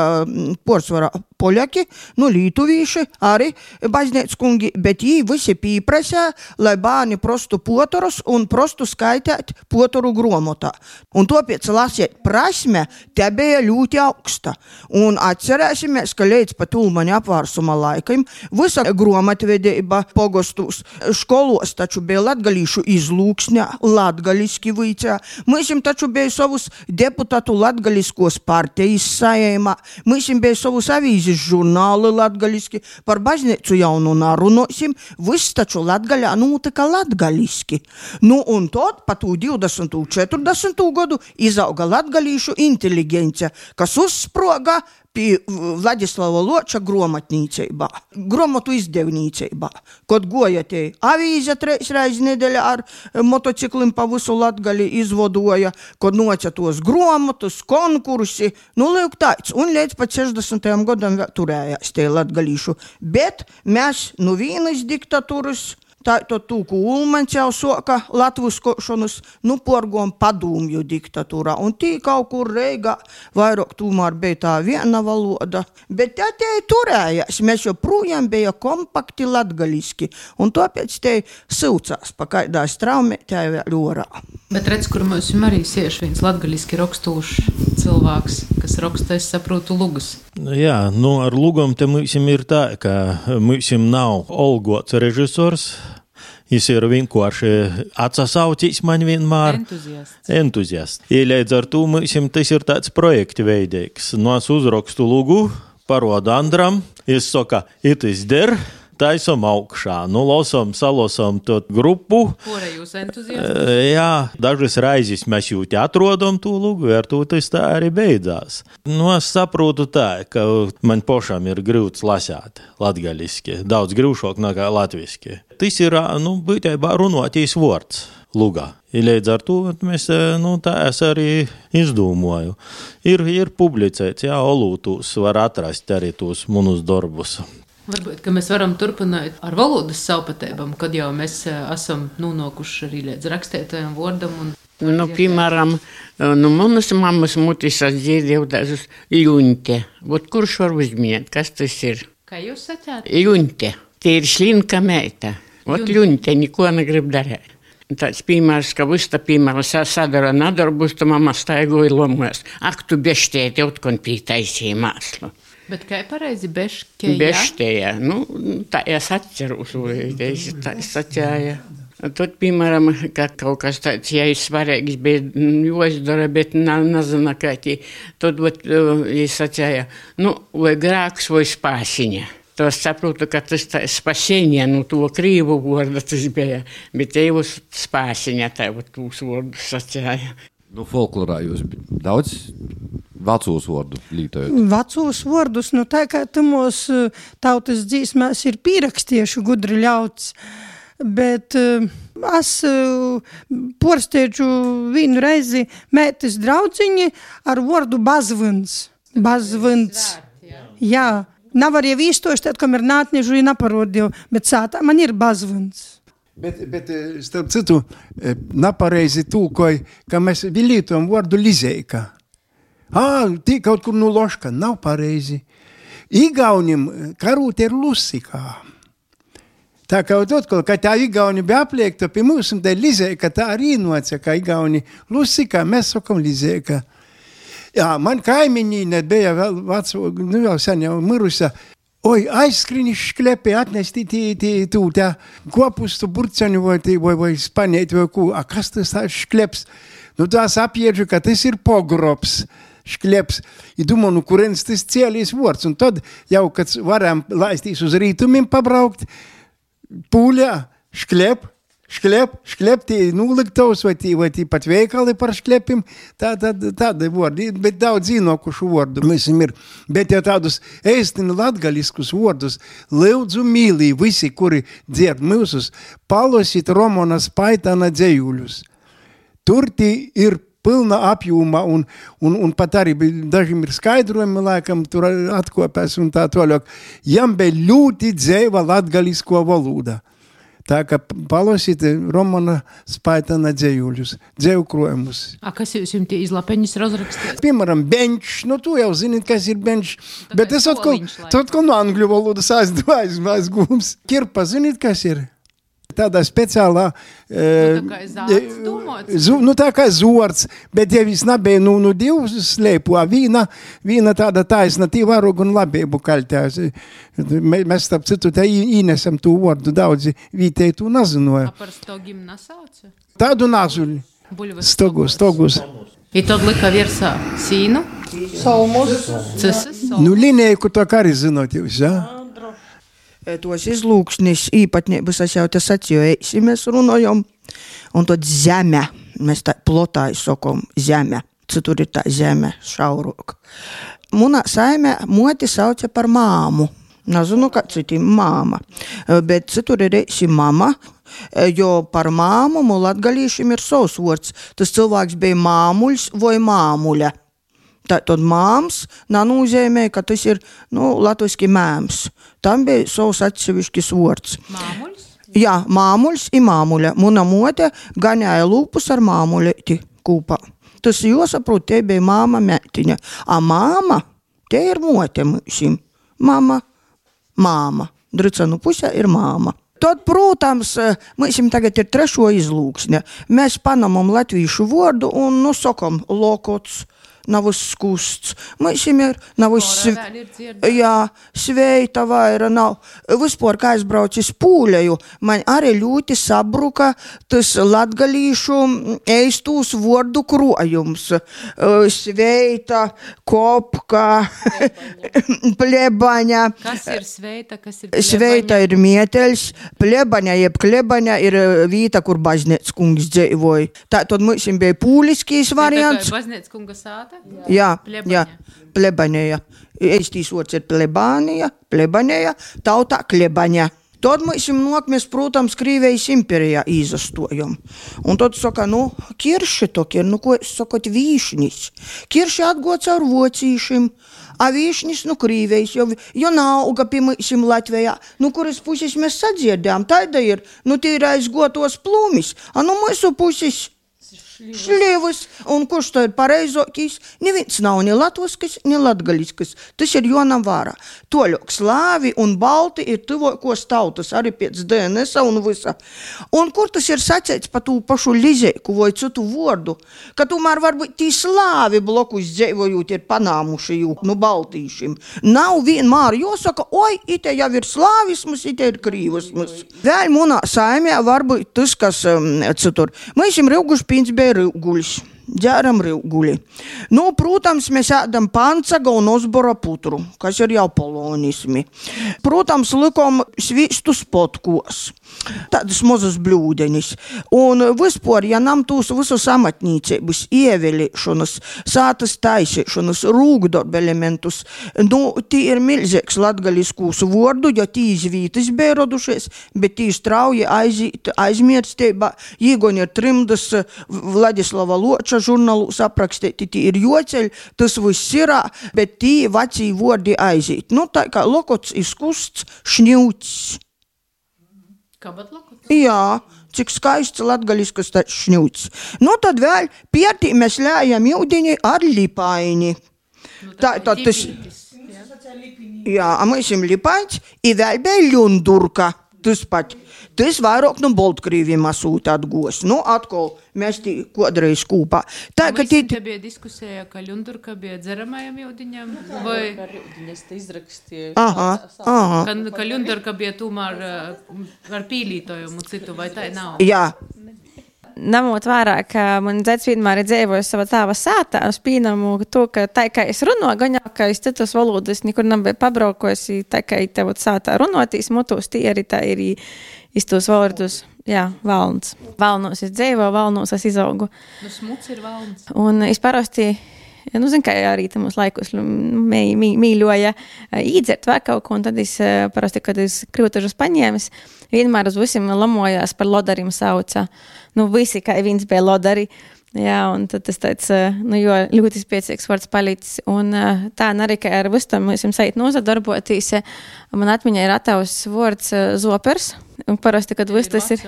porsvarā poļaki, nu lītuvīši, arī baznīca kungi, bet jī visi pīprasē, lai bāni prostu potorus un prostu skaitēt potoru gromotā. Un topēc lasiet prasme, te bija ļoti augsta. Un atcerēsimies, ka līdz pat Ulmaņa apvārsuma laikam visa gromatvedība pogostus školos taču bija latgalīšu izlūksņā, latgaliski vicā. Mēs taču bija savus deputātu latgaliskos partijas sajēmā, mēs bija savus avīzes žurnāli latgaliski, par baznīcu jaunu narunosim, viss taču Latgaļā notika latgaliski. Nu, un tad, pa tū divdesmit četrdesmit gadu, izauga latgalīšu inteligencia, kas uzsproga pie Vladislava Loča gromatnīceibā, gromatu izdevnīceibā. Kod goja te avīze treis reiz nedēļā ar motociklim pa visu Latgali izvodoja, kod noca tos gromatus, konkursi, nu liuk tāds, un līdz pat sešdesmitajam gadam turējās te latgalīšu. Bet mēs nu vienas diktatūras, tā to tūku Ulmaņs jau soka latviskošanas, nu porgom padūmju diktatūrā. Un tī kaut kur Reigā vairāk tūmār bija tā viena valoda. Bet tā te turējās, mēs joprojām bija kompakti latgaliski. Un tāpēc te silcās pa kaidā straumē tā vēl orā. Bet redz, kur mums arī sieši viens latgaliski rakstūšs cilvēks, kas raksta, es saprotu, lugas. Jā, nu ar lugom te mums ir tā, ka mums nav olgots režisors. Jis ir vienkārši atsasaucīs man vienmēr. Entuziasts. Entuziasts. I līdz ar to mums tas ir tāds projekti veidīgs. No es uzrakstu lugu, parodu Andram, es saka, itis der, taisom augšā. Nu, losom, salosom tot grupu. Kura jūs entuziasti? Jā, dažas raizes mēs jūti atrodam to lugu, ar to tas tā arī beidzās. Nu, es saprotu tā, ka man pošām ir grūts lasāt latgaliski, daudz grūšāk nekā latviski. Tas ir, nu, būtībā runotīs vārds lugā. I līdz ar to mēs, nu, tā es arī izdomāju. Ir, ir publicēts, jā, olūtūs var atrast arī tos munus darbus. Varbūt, ka mēs varam turpināt ar valodas savpatībām, kad jau mēs esam nonākuši arī līdz rakstētajam vārdam. Un... Nu, piemēram, nu, manas mammas mutis atdzirdēju dažus ļuņte. Vot kurš var uzminēt, kas tas ir? Kā jūs sacāt? Ļuņte. Tie ir šlinka meita. Vot ļuņte, neko negrib darēt. Tāds piemērs, ka viss tā piemērs sadara nadarbus, tu mamma staigoja lomojas. Ak, tu beštēti, utkon pītaisīja māslu. Bet kā pareizi beštēja? Beštēja. Nu, tā es atceros, tā es atcēja. Tad, piemēram, ka kaut kas tāds, ja ir svarīgs, bet jāizdara, bet nezinu, kā tī. Tad, vat, es atcēja, nu, vai grāks, vai spāsiņa. To es saprotu, ka tas tā spasiņa, nu, to krīvu vārdu tas bija, bet te jau spāsiņa, tā jau tūs vārdus atcēja. Nu, folklorā jūs daudz vecos vārdu lītojat? Vecos vārdus, nu tā kā tamos tautas dzīsmēs ir pierakstiešu gudri ļauts, bet uh, es uh, porsteidžu vienu reizi mētis draudziņi ar vārdu bazvins. Bazvins. Jā, nav arī vīstoši, tad, kam ir nātniežu, ja naparodīju, bet sātā man ir bazvins. Bet, bet starp citu, napareizi tūkoja, ka mēs vilītojam vārdu lizeika. Ā, tī kaut kur nu loška, nav pareizi. Igaunim karūt ir lusikā. Tā kā atkal, ka tā igauni bija apliekta pie mums, un tā lizeika tā arī noca, ka igauni lusikā, mēs sakam lizeika. Jā, man kaimiņīne bija vēl veco, nu jau sen jau mirusa. Oi, aizskrini šklepē, atnesti tī, tī, tū, tā kopustu burceni vai, vai, vai spanēt vai ko. A, kas tas tā škleps? Nu, tās apieģu, ka tas ir pogrobs škleps. I domāju, nu, kurienes tas cielīs vārds. Un tad jau, kad varam laistīs uz rītumiem pabraukt, pūļā, šklep, šklep, šklep, tī nūliktavs vai tī, vai tī pat veikali par šklepim, tā, tā, tāda vārdi, bet daudz zīnokušu vārdu visam ir. Bet ja tādus eistini latgaliskus vārdus lūdzu mīlī visi, kuri dzird mūsus, palosit Romona Spaitāna dzējuļus. Tur tī ir pilna apjūma un, un, un pat arī dažiem ir skaidrojumi, laikam, tur atkopēs un tā toļok. Jam bija ļoti dzēva latgalisko valoda. Tā kā palasīt Romana Spaitāna dzējuļus, dzēju krojumus. A, kas jūs jums tie izlapeņus razrakstīt? Piemēram, bench, nu tu jau zināt, kas ir bench, tad bet es atkal, atkal no angļu valodas aizgūms. Kirpa, zināt, kas ir? Tādā speciālā... Nu, tā kā zārts domāts? Zu, nu, tā kā zorts, bet ja vis nebija, nu, nu, divus slēpu, a vīna, vīna tāda taisna, tī varogu un labību kaļtās. Mēs, starp citu, tā īnesam tū vārdu daudzi vītēji tū nazinoja. A par stogim nasauca? Tādu nazuļi. Stogus, stogus. I tad lika virsā sīnu? Salmus. Cesas? Nu, linēju, to kā arī zinot jūs, jā? Tos izlūksnis īpatnības es jau te sacīju, eisi mēs runājam, un tad zeme, mēs tā plotāji sokom zeme, citur ir tā zeme šaurok. Munā saime moti sauca par māmu, nezinu, kā citim māma, bet citur ir eisi mama, jo par māmu mu latgalīšim ir savs vārds, tas cilvēks bija māmuļs vai māmuļa. Tad māms nanūzēmē, ka tas ir, nu, latviski mēms. Tam bija savs atsevišķis vārds. Māmuļs? Jā, māmuļs i māmuļa. Muna mote gaņāja lūpus ar māmuļeti kūpā. Tas jāsaprot, te bija māma mētiņa. A māma, te ir mote mūsim. Mama, māma. Dricanu pusē ir māma. Tad, protams, mēs tagad ir trešo izlūksne. Mēs panamam latviešu vārdu un nosakam lokots. Nav skusts. Mums ir, nav sv... jā, sveita vaira nav. Vispār, kā es braucu uz Pūļeju, man arī ļoti sabruka tas latgalīšu eistūs vārdu krojums. Sveita, kopka, plebaņa. Kas ir sveita, kas ir plebaņa? Sveita ir mieteļs, plebaņa jeb klebaņa ir vīta, kur baznīcas kungs dzeivoja. Tā tad mums bija pūliskīs variants. Tā kā baznīcas kunga sāta? Jā, jā, plebaņēja. Eistīs vārds ir plebānija, plebaņēja, tautā klebaņa. Tad mēs nokmies, protams, Krīvijas imperijā izastojam. Un tad saka, nu, kirši toki ir, nu, ko es sakot, vīšnis. Kirši atgods ar vocīšim, a vīšnis, nu, Krīvijas, jo, jo nauga pie mūsim Latvijā. Nu, kuras puses mēs sadziedām, taida ir, nu, tīra aizgotos plūmis, a nu, mūsu puses šļivas, un kurš to ir pareizokīs, neviens nav ni latviskis, ni latgaliskas. Tas ir jonam vārā. Toļok slāvi un balti ir tuvokos tautas, arī pēc D N S un visa. Un kur tas ir sacēts pa tū pašu lizeiku vai citu vordu, ka tomēr varbūt tī slāvi blokus dzēvojūt ir panāmuši jū, nu baltīšim. Nav vienmēr jāsaka, oi, ite jau ir slāvismus, ite ir krīvismus. Vēl munā saimē varbūt tas, kas um, citur. Mēs jim rauguši pīns bija rīvguļs, ģēram rīvguļi. Nu, protams, mēs ēdam pancaga un osbora putru, kas ir jau polonismi. Protams, likom svīstu spotkos, tādas mazas bļūdenis. Un vispār, ja nam tūs visus amatnīcības, ievēlēšanas, sātas taisīšanas, rūgdarba elementus, nu, tī ir milzīgs latgaliskūs vordu, jo tī izvītis bija rodušies, bet tī strauji aizīt, aizmirstībā, īgoņi ir trimdas Vladislava Loča žurnālūs aprakstīti, tī ir joceļ, tas viss irā, bet tī vecī vordi aizīt. Nu, tā kā lokots izkusts, šņūts. Kabat lokots? Jā, cik skaists latgaliskas tāds šņūts. Nu, tad vēl pietī mēs ļējam jūdiņi ar lipaini. Nu, tā, tā, tas... Jā, a mēs jim lipains, i vēl bija ļundurka. Tas pat, tas vairāk no Baltkrīviem asūta atgos. Nu, atkal, mēs tī kodreiz kūpā. Tā, ka tī... Te bija diskusēja, ka ļundurka bija dzeramajam jūdiņam, vai... Ka ļundiņas te izrakstīja. Aha, aha. Ka, ka ļundurka bija tomēr ar pīlītojumu citu, vai tā nav? Jā. Namot vērā, ka man dzēts vienmēr ir dzēvojas sava tāva sātā, es pīnamu to, ka tā, kā es runo, gaņā, ka es citus valodas nekur nav pabraukojusi, tā, kā es tev sātā runotīs, mutos tī arī tā ir iz tos vārdus, jā, valns. Valnos es dzēvo, valnos es izaugu. Nu, smuts ir valns. Un es parasti, nu, zin, kā arī tam uz laikus mī, mī, mīļoja īdzert vai kaut ko, un tad es parasti, kad es krūtažus paņēmis, vienmēr uz visiem lamojās par lodarim sauca. Nu, visi, kā viens bija lodari. Jā, un tad tas tāds, nu, jo ļoti spiecīgs vārds palicis. Un tā arī, ka ar visu tam mēs jums sajūt nozadarboties, man atmiņā ir atavs vārds zopers. Un parasti, kad viss tas ir...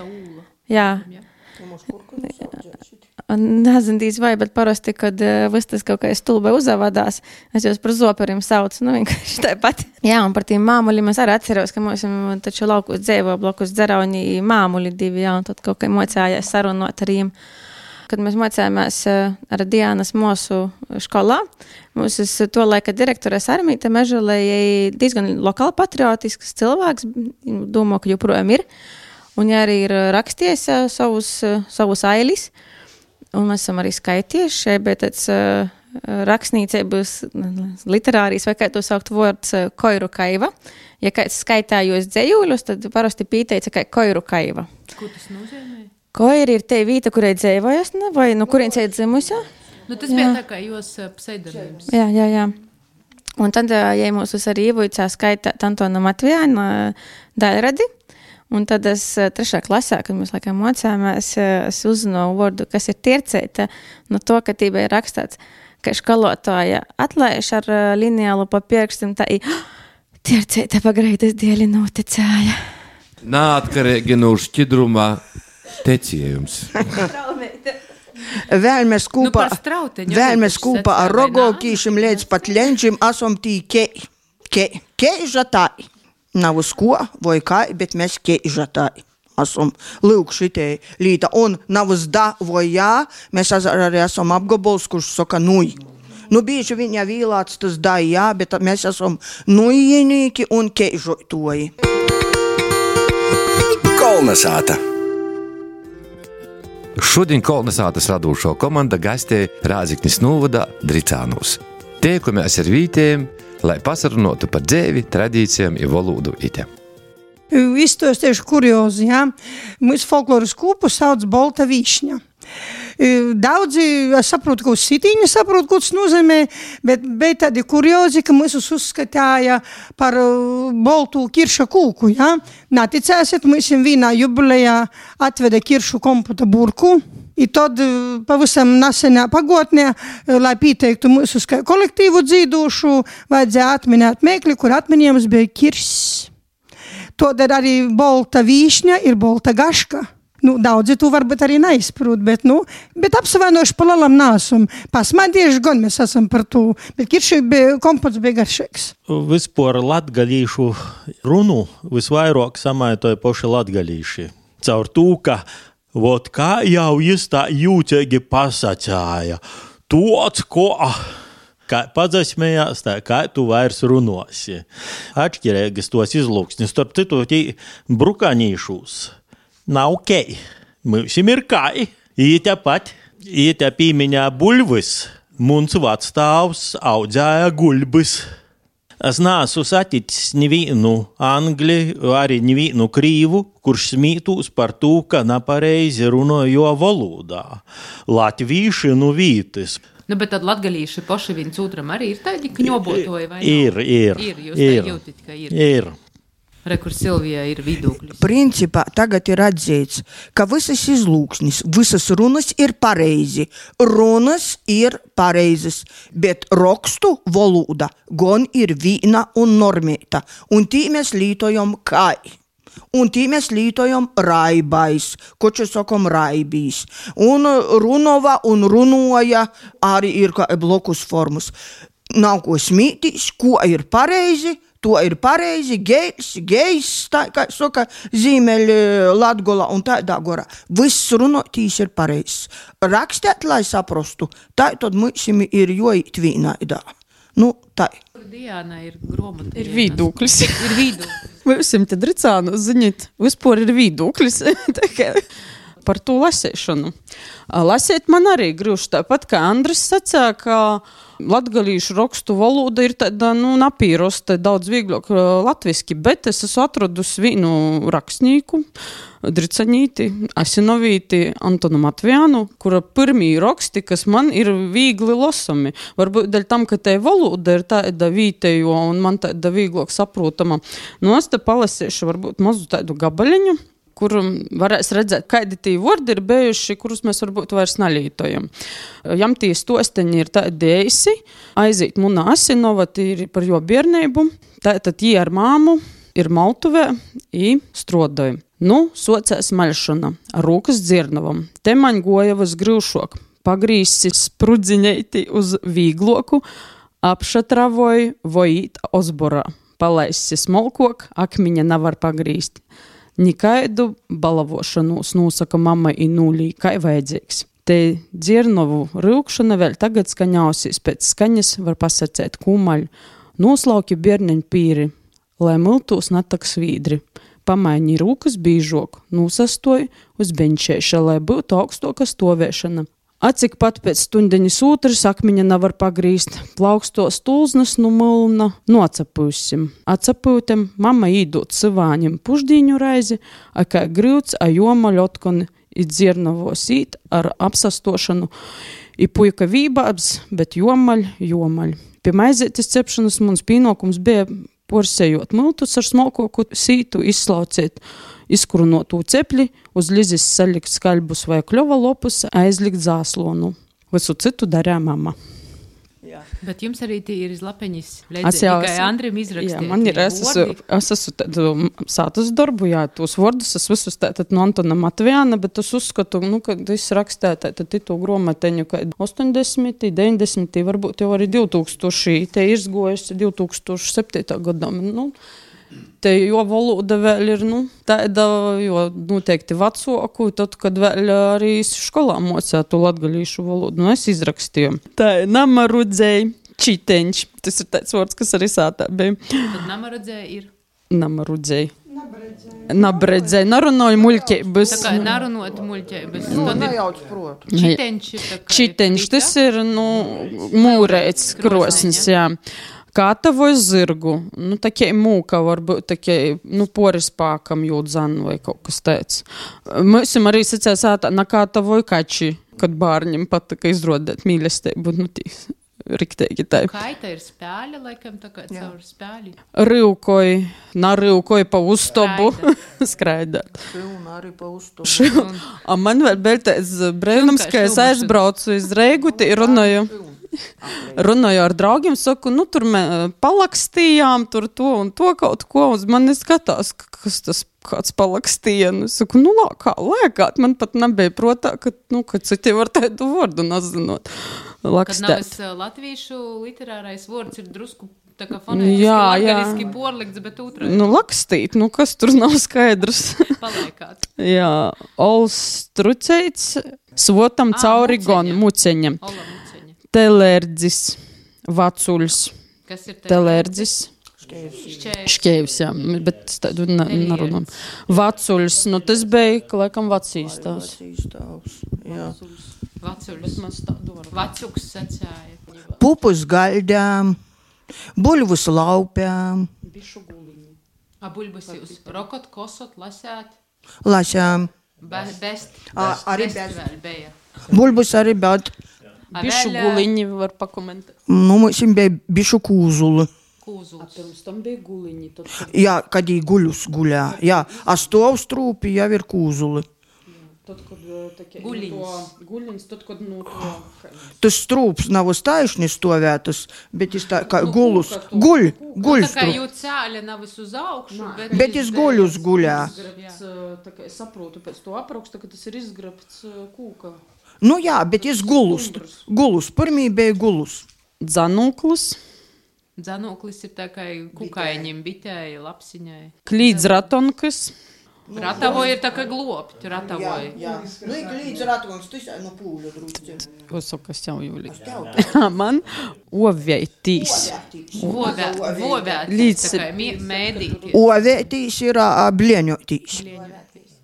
Jā. Nezinu, vai, bet parasti, kad viss tas kaut kā stulbai uzavadās, es jūs par zoperiem saucu, nu, vienkārši tāpat. Jā, un par tiem māmuļiem es arī atceros, ka mums taču laukos dzēvo blokus dzerauni māmuļi divi, jā, un tad kaut kā mocājās sarunot ar viņiem. Kad mēs mocējāmies ar Diānas mosu školā, mums to laika direktores Armīta Mežalē diezgan lokāli patriotisks cilvēks, domāju, ka joprojām ir, un ja arī ir raksties savus, savus ailis, un mēs esam arī skaitieši, bet tāds uh, rakstniecības literārijas, vai kā to saukt vārds, uh, koiru kaiva. Ja kāds skaitājos dzējūļus, tad parasti pīteica, ka koiru kaiva. Ko tas nozīmē? Koiri ir te vīta, kurai dzēvojas, ne? Vai no kurienes ir dzimusi? Nu, tas jā. Bija tā kā jūs pseidonīms. Jā, jā, jā. Un tad, ja mūs arī ievuicā skaitāt Antona Matvijāna daļradi, un tad es trešā klasē, kad mēs laikam mocījāmies, es uzzināju vārdu, kas ir tiercēta, no to, ka tī bija rakstāts, ka školotāja atlaiž ar lineālu pa pierkstam, tā ir tiercēta pagreitas dēļi noticēja. Nātkarīgi no šķidrumā teciejums. Vēl mēs kūpā, nu, vēl mēs kūpā ar rogokīšim līdz pat leņķim esam tī kei, kei, kei žatāji. Nav uz ko, vai kā, bet mēs keižatāji. Esam lūk šitie līta, un nav uz da vai jā, mēs arī esam apgabols, kurš saka nui. Nu, bieži viņa vīlāts tas da jā, bet mēs esam nujienīki un keižotoji. Kolnesāta. Šodien Kolnesātas radūšo komanda gastē Rāziknis novada Dricānūs. Tiekamies ar vītējiem, lai pasarunotu par dzēvi, tradīcijām i volūdu ite. Izstostiešu kuriozi, jā. Mūsu folkloras kūpu sauc Bolta vīšņa. Daudzi, es saprotu, ka uz sitīņa saprotu, ko tas nozīmē, bet bija tādi kuriozi, ka mūs uzskatāja par boltu kirša kūku, ja? Naticēsiet, mēs vienā jubilejā atveda kiršu komputa burku, i tad pavisam nesenā pagotnē, lai pieteiktu mūsu kolektīvu dzīdošu, vajadzēja atminēt mēkli, kur atminējums bija kirss. Todēļ arī bolta vīšņa ir bolta gaška. Nu, daudzi tu varbūt arī neizprūt, bet, nu, bet apsavainojuši pa lalam nāsum. Pasmadieši gan mēs esam par to, bet kirši bija, kompots bija garšīgs. Vispār latgalīšu runu visvairāk samaitoja poši latgalīši. Caur tū, ka, vot kā jau jis tā jūtīgi pasacāja, tots, ko... Kā padzasmējās, tā kā tu vairs runosi. Atšķirēgas tos izlūksnis, starp citu, tī brukanīšūs. Nav kei. Mūsim ir kai. Īte pat, īte pīmiņā buļvis. Muns vadstāvs audzēja guļbis. Es nāsu saticis nevienu angli, arī nevienu krīvu, kurš smītūs par tū, ka nepareizi runojo volūdā. Latvīši nu vītis. Nu, bet tad latgalīši poši viens otram arī ir tādi kņobotoji, vai ir, nav? Ir, ir. Jūs ir, tā jūtit, ka ir. Ir. Re, kur Silvijā ir vidūkļus. Principā tagad ir atzīts, ka visas izlūksnis, visas runas ir pareizi. Runas ir pareizes, bet rakstu volūda gan ir vīna un normēta, un tī mēs lītojam kai. Un tī mēs lītojam raibais, koči sakam raibīs. Un runova un runoja arī ir kā blokus formas. Nav ko smītīs, ko ir pareizi, to ir pareizi, gejs, gejs, tā kā saka zīmeļi Latgola un tādā gorā. Viss runotīs ir pareizs. Rakstēt, lai saprastu, tā tad mūsim ir jojīt vīnaidā. Nu, tā. Diāna ir gromata. Ir vidūklis. Ir vidūklis. Mūsim te Dricānu, ziniet, vispār ir vidūklis. Par to lasēšanu. Lasēt man arī grūši tāpat, kā Andris sacīja, ka latgalīšu rakstu valoda ir tāda, nu, napīrosta, daudz vieglāk latviski, bet es esmu atradusi vienu rakstnieku, Dricaņīti, Asinovīti, Antonu Matvijānu, kura pirmī raksti, kas man ir viegli lasami. Varbūt dēļ tam, ka te valoda ir tāda vītējo un man tāda vieglāk saprotama. Nu, es te palasīšu varbūt mazu tādu gabaļiņu, kur varēs redzēt, kādi tī vārdi ir bijuši, kurus mēs varbūt vairs nelītojam. Jam tī stosteņi ir tādi eisi, aizīt munā Asinova, tī ir par jo biernību, tātad jī ar māmu ir Maltuvē i Strodoja. Nu, socēs maļšana ar rūkas dzirnavam. Te maņ goja vas grūšok, pagrīsi sprudziņeiti uz vīgloku, apšatravoju vojīt ozborā. Palaisi smolkok, akmiņa nevar pagrīst. Nikaidu balavošanos nosaka mamma i nūlī, kai vajadzīgs. Te dzirnovu rūkšana vēl tagad skaņausīs, pēc skaņas var pasacēt kūmaļu. Noslauki bierneņu pīri, lai miltūs netak svīdri. Pamaini rūkas bīžok, nūsastoju uz beņčēša, lai būtu augstoka stovēšana. Acik pat pēc stundeņas ūtras akmiņa nevar pagrīst, plaukstos tulznas nu mulna, nocapūsim. Acapūtem mamma īdot sivāņiem puždīņu raizi, a kā grīvts a joma ļotkoni i dzirnavos īt ar apsastošanu, i puika vībābs, bet jomaļ, jomaļ. Pie maizētis cepšanas mums pienākums bija porsējot miltus ar smalkoku sītu, izslauciet izkurunotū cepļi, uz lizis salikt skaļbus vai kļova lopus, aizlikt zāslonu. Visu citu darīja mamma. Jā. Bet jums arī tī ir izlapeņis, Es jau tikai esmu- Andrim izrakstīt. Jā, man ir, es esmu, es esmu tādu sātas darbu, jā, tos vārdus es visus tātad no Antona Matvijāna, bet es uzskatu, nu, kad es rakstēju tātad titu gromateņu, ka ostoņdesmit, deviņdesmit, varbūt jau arī divtūkstoši, te izgojusi divtūkstoši septītā gadam, nu, Te jo valoda vēl ir, nu, tāda, jo noteikti vecoku, tad, kad vēl arī skolā mocētu latgalīšu valodu, nu, es izrakstīju. Tā namarudzēji, čiteņš, tas ir tāds vārds, kas arī sātā bija. Tad namarudzēji ir? Namarudzēji. Nabredzēji, narunoju muļķības. Tā kā narunot muļķības. Nu, nejauc protu. Čiteņš ir tā kā... Čiteņš, tas ir, nu, mūrēts krosnis, jā. Kātavoju zirgu, nu, takie mūka varbūt, takie, nu, porispākam jūt zanu vai kaut kas tāds. Mēs arī sacījās ātā, nakātavoju kači, kad bārņiem patika izrodēt mīlestību, nu, tīs. Riktīgi tā. Kaita ir spēļa, laikam, tā kā caur spēļi. Rivkoji, narivkoji pa uztobu. Skraidāt. Šilna arī pa uztobu. A man vēl vēl tāds brēnums, ka es aizbraucu iz Reigu, te runāju. Runāju ar draugiem, saku, nu, tur mēs palakstījām, tur to un to kaut ko, un man skatās, kas tas kāds palakstīja. Nu, saku, nu, lā, kā lēkāt, man pat nebija protā, ka, nu, ka citi var tādu vārdu nezinot. Lakstēt. Kad nav latviešu literārais vārds ir drusku tā kā fonētiski, latgaliski porlikts, bet otrādi. Nu, lakstīt, nu, kas tur nav skaidrs. Palaikāt. Jā, ols truceits, svotam Ā, cauri muceņa. gon, muceņa. Ola muceņa. Telērdzis, vacuļs, Kas ir telērdzis. Šķēvis. Šķēvis, jā, bet tādu narunam. Vacuļs, nu, tas bija, ka laikam vacīs tās. Jā. Vacuļs. Vacuks sacāja. Pupus gaļdām, buļvus laupām, A buļbus jūs rokot, kosot, lasēt? lasām. Be, best. Ā, arī best best. vēl bija. Buļbus arī, bet, A Bišu vēl, guliņi var pakomentēt. nu, mums bija bišu kūzuli. Kūzuls. Pirms tam bija guliņi. Tad, Jā, kad jī guļus guļā. Jā, a stovs trūpi jau ir kūzuli. tad kad takie, Guliņs. guliņs, tad, kad, nu, to... Tas strūps nav uz taisni stovētas, bet es tā kā gulus, guļ, guļ Tā kā strūp. jūt cēļa nav uz augšu, bet... Bet es guļus guļā. Izgrabts, tā kā es saprotu pēc to apraksta, ka tas ir izgrabts kūka. Nu jā, bet es gulus, gulus, pirmī bija gulus. Dzanūklis, Dzanoklis ir tā kā kukaiņiem, bitēji, lapsiņai. klīdz ratonkas, Ratavoja ir tā kā glopti, ratavoja. jā. Nu, ik līdz ratons, tas ir no pūļa drusci. Osakas jau jūlī. Man oveitīs. Vovē, vovē, Līdz- tā kā mē- mēdīties. Ovētīs ir ā, blieņotīs.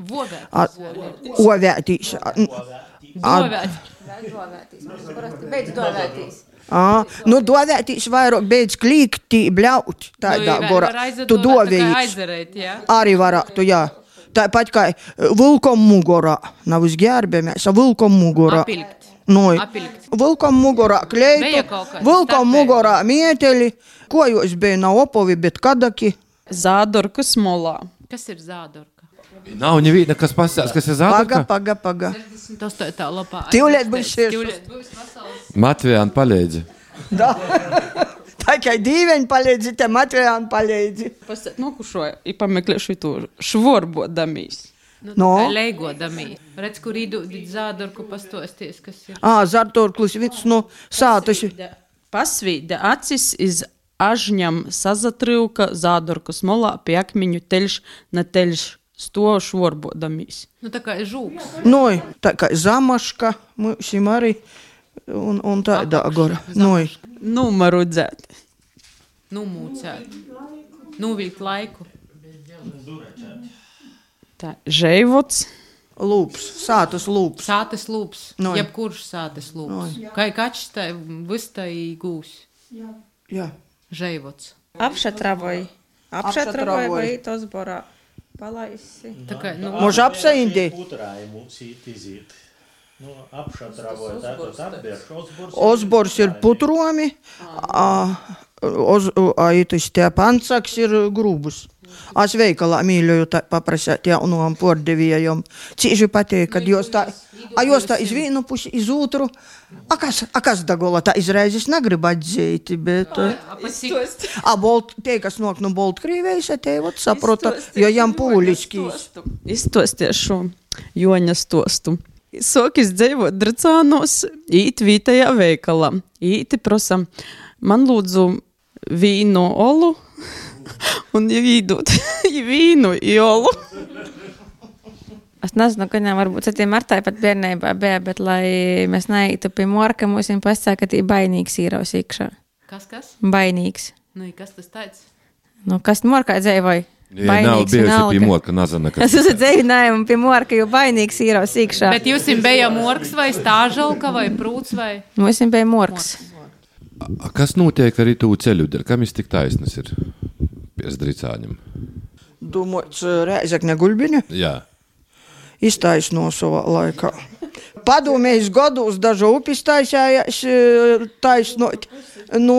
Vovē. Ā, Ovētīs. ā, n- Vovē. Beidz dovētīs. ā, Nu, dovētīs vairāk beidz klīkti, bļaut. Tādā gorā. Tu dovējīs. Aizarēt, jā. Arī varētu, jā. Tāpat kā vilkom mugurā. Nav uzģērbamies, a vilkom mugurā. Apilkt. Noi. Apilkt. Vilkom mugurā Bija kleitu, kaut kas vilkom starpēji. mugurā mieteļi, ko jūs bija nav opovi, bet kadaki. Zādorkas molā. Kas ir zādorka? Nav neviena, kas pasās, kas ir Paga, zādurka. paga, paga. Tas tā ir tā lapā. Tivliet būs šis. Tivliet būs vesels. Matvijāna palīdzi. Da. Tā kā dīveņi palīdzi, te Matvijāni palīdzi. Pasēt nokušoju, i pameklēšu to švorbodamīs. Nu, No. tā kā leigodamī. Redz, kur īdūdīt zādorku pastosties, kas ir. Ā, Zartorklis, viens no sātas. Pasvīda acis iz ažņam sazatrivka zādorkas molā pie akmiņu teļš na teļš sto švorbodamīs. Nu, tā kā žūks. Noi, tā kā zamaška, mūsim arī, un, un tādā gora. Noi. Numaru dzēt. Numūcēt. Nuvilt laiku. Tā, žeivots. Lūps, sātas lūps. Sātes lūps. Noi. Jebkurš sātes lūps. Kā kačs tā vistai gūs. Jā. Žeivots. Apšatravoj. Apšatravoj Apšatravoj. vai tos borā. Palaisi. Tā kā, nu, Može apsaindi. Putrājumu sīt izīt. Nu, apšatravoja tātad apbērš. Osbors. Osbors ir putromi, a, oz, a, itis tie pansaks ir grūbus. Es veikalā mīļoju tā paprasēt jaunām pordevējiem. Cīži patīk, kad jūs tā, a jūs tā iz vienu pusi, iz otru. A kas, a kas dagola tā izraizes negrib atzīt, bet... A bolt, tie, kas nok no Boltkrīvējas, te vot saprota, jo jām pūliskīs. Izstosties šo Joņa stostu. Sokis dzīvot Dracānos, īt vītajā veikalā. Īti prasa, man lūdzu vīnu olu, un ir īdot vīnu iolu. Es nezinu, ka viņam varbūt citiem Martai pat bērnībā bija, bet lai mēs neītu pie morka, mums viņam pasaka, ka tī bainīgs īraus iekšā. Kas, kas? Bainīgs. Nu, kas tas tāds? Nu, kas morkā dzēvoja? Ja nav bijusi pie morka, nezinu, kas. Es esmu dzēvinājumi pie morka, jo bainīgs īraus iekšā. Bet jūs jums bija morks vai stāžalka vai prūts vai? Mums jums bija morks. A, kas notiek arī tū ceļu dēļ? Kam jis tik taisnas ir pie Dricāņam? Domāts Rēzekne Guļbiņa? Jā. Iztaisno savā laikā. Padomējis gados dažu upis taisājās taisnot. Nu,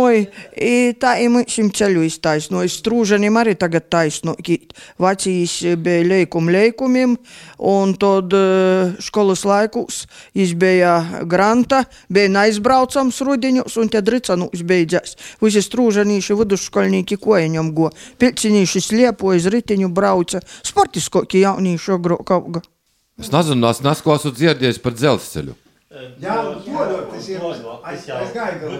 tā ir šim ceļu iztaisnoja. Strūžanim arī tagad taisno. Vecīs bija leikum leikumiem, un tad školas laikus jis bija granta, bija naizbraucams rudiņus, un te Dricanūs beidzās. Visi strūžanīši vidusškolnīki kojaņam go. Pilcinīši sliepoja, z ritiņu brauca. Sportiskoki jaunīši agrāk auga. Es nezinu, es nesko esmu dzirdējis par dzelzceļu. Jā, tas ir aizgāja.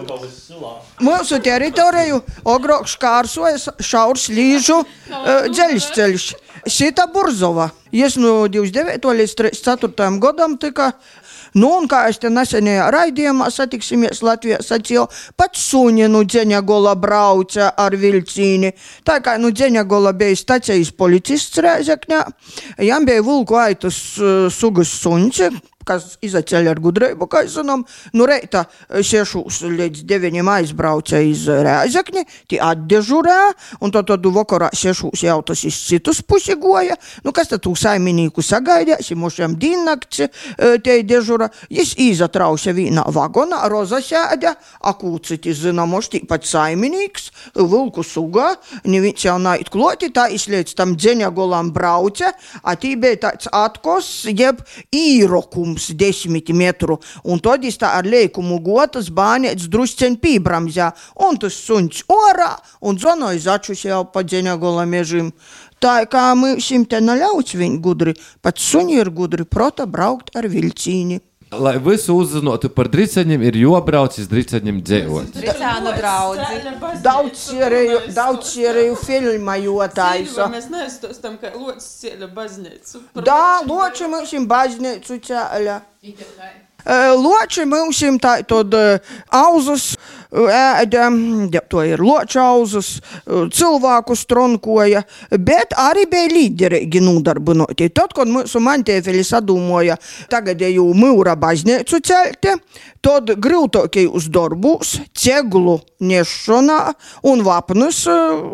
Mūsu teritoriju agrāk škārsoja šaurs līžu uh, dzeļsceļš. Sita Burzova. Jis no divdesmit devītā līdz trīsdesmit ceturtajam gadam tika. Nu, un kā es te nesenajā raidījumā satiksimies Latvijā sacīju, pats Suninu Dzeņagola brauca ar vilcīni. Tā kā, nu, Dzeņagola bija stacijas policists Rēzekņā, jām bija vulku aitas uh, sugas suņci, kas izaceļ ar gudreibu, kā zinām. Nu, reita sešos līdz deviņiem aizbrauca iz Rēzekni, tie atdežurē, un tad tad vakarā sešos jau tas iz citus pusi goja. Nu, kas tad tū saiminīku sagaidēs, mošiem dīnnakts te dežura. Jis izatrauša vīnā vagonā, roza sēdē, akūciti zināmoš, tīpat saiminīks, vilku sugā, neviens jau nait kloti, tā izliec tam Dzeņagolam brauca, a tī bija tāds atkos, jeb īrokums desmit metru, un tad jis tā ar leikumu gotas bānēts drusceņ pībramzā, un tas suņš orā, un zvanoj začus jau pa Dzeņagola mežim. Tā kā mūsim te naļauts viņ gudri, pat suņi ir gudri prota braukt ar vilcīni. Lai visu uzzinotu par Dricaņiem, ir jobrauc iz Dricaņiem dzēvot. Dricānu draudzi. Daudz sierēju, daudz sierēju filma jotāisa. Mēs neizstostam, ka locis ceļa baznīcu. Da, loči mūsim baznīcu ceļa. Loči mūsim tā tad auzus ēda, to ir loča auzus, cilvēku stronkoja, bet arī bija līderīgi nodarbinoti. Tad, kad mūsu mantēfeli sadūmoja tagadēju mūra baznīcu ceļti, tad grūtākajos darbus, ceglu nešanā un vapnus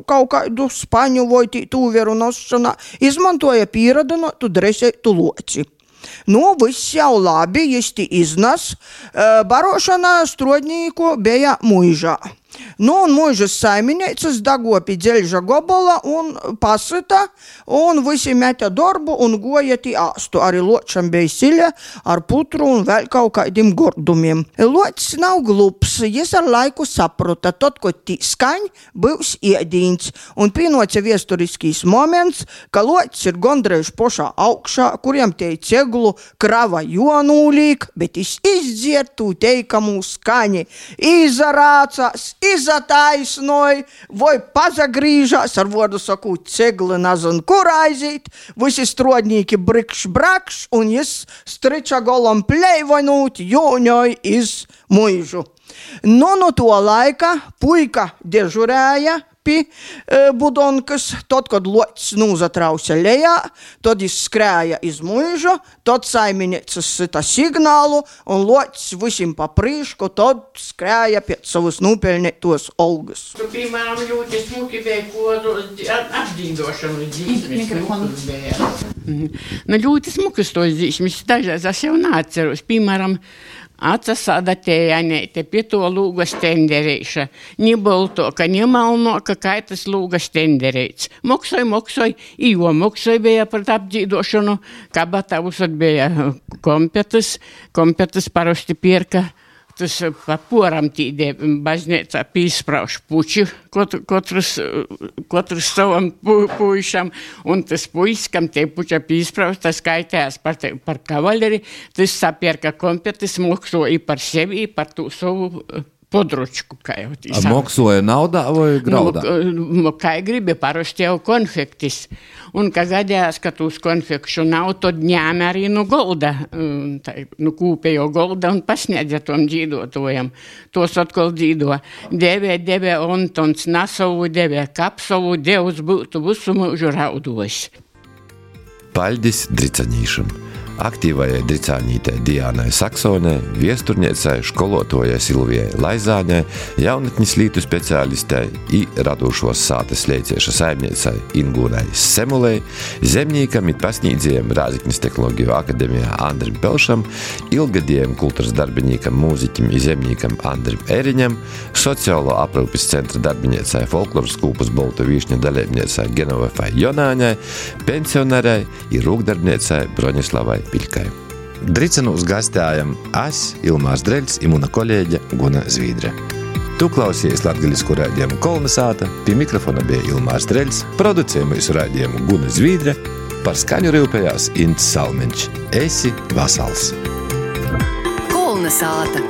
kaut kādu spaņu vai tūveru nošanā izmantoja pieradinotu dresētu loci. Nu, viss jau labi, jisti iznas, barošana strodnīku bija muižā. Nu, un muižas saiminieces dagopi dzeļža gobola un pasita, un visi meta darbu un goja tī āstu. Arī ločam bija siļa ar putru un vēl kaut kādiem gordumiem. Locis nav glups, jis ar laiku saprota, tad, ko tī skaņ, būs iedīns. Un pienoca viesturiskīs moments, ka locis ir gondrējuši pošā augšā, kuriem te ceglu krava jonūlīk, bet jis izdzier tū teikamū skaņi, izarācās, izataisnoj, vai pazagrīžās, ar vodu saku, cegli nazin, kur aizīt, visi strodnīki brikš brakš, un jis striča golam pleivanūt, jūņoj iz muižu. Nu, no to laika puika dežurēja pi e, budonkas, tad, kad locis nūzatrausa lejā, tad jis skrēja iz muižu, tad saiminieces sita signālu, un locis visim pa prīšku, tad skrēja pēc savus nūpeļnētos olgas. Tu, piemēram, ļoti smuki bija, ko apdīdošanu dzīsmes bija. Nu, ļoti smukas tos dzīsmes, dažreiz es jau neatceros, piemēram, atsasāda tējanēte pie to lūga stenderīša. Nibolto, ka nemalno, ka kaitas lūga stenderīts. Moksoj, moksoj, jo moksoj bija par apdzīdošanu, kabatavus bija kompetas, kompetas parosti pierka. Tas pa poram tīdē baznīcā pīsprauš puči, kotrus, kotrus savam pu, puišam, un tas puisis, kam te puča pīsprauš, tas skaitējās par, te, par kavaleri, tas sapierka kompetis, moksoja par sevi, par tū savu područku, kā jau tī sauc. Moksoja naudā vai graudā? Nu, kā gribi, parasti jau konfektis. Un, ka gadījās, ka tūs konfekšu nav, tad ņēma arī no golda, tā, no kūpējo golda un pasniedza tom dzīdotojam. Tos atkal dzīdo. Devē, devē, Ontons, Nasovu devē, Kapsovu, Dievs būtu visu mūžu raudos. Paļdis Dricanīšam. Aktīvajai dricānītei Diānai Saksonai, viesturniecei, školotājai Silvijai Laizāņai, jaunatnes lītu speciālistei i radošos sātes leicieša saimniecei Ingūnai Semulei, zemnīkam i pasnīdzējiem Rāziknis tehnoloģiju akademijā Andrim Pelšam, ilgadējiem kultūras darbinīkam, mūziķim i zemnīkam Andrim Eriņam, sociālo aprūpes centra darbiniecei folkloras kūpus Bolta Vīšņa dalībniecei Genovefai Jonāņai, pensionārei i rūkdarbniecei Broņislavai Piļkai. Dricanūs gastējam es, Ilmārs Dreļs i muna kolēģe Guna Zvīdre. Tu klausies latgaļisku raidījumu Kolnesāta, pie mikrofona bija Ilmārs Dreļs, producējumu raidījumu Guna Zvīdre, par skaņu rūpējās Ints Salmiņš. Esi vasals! Kolnesāta.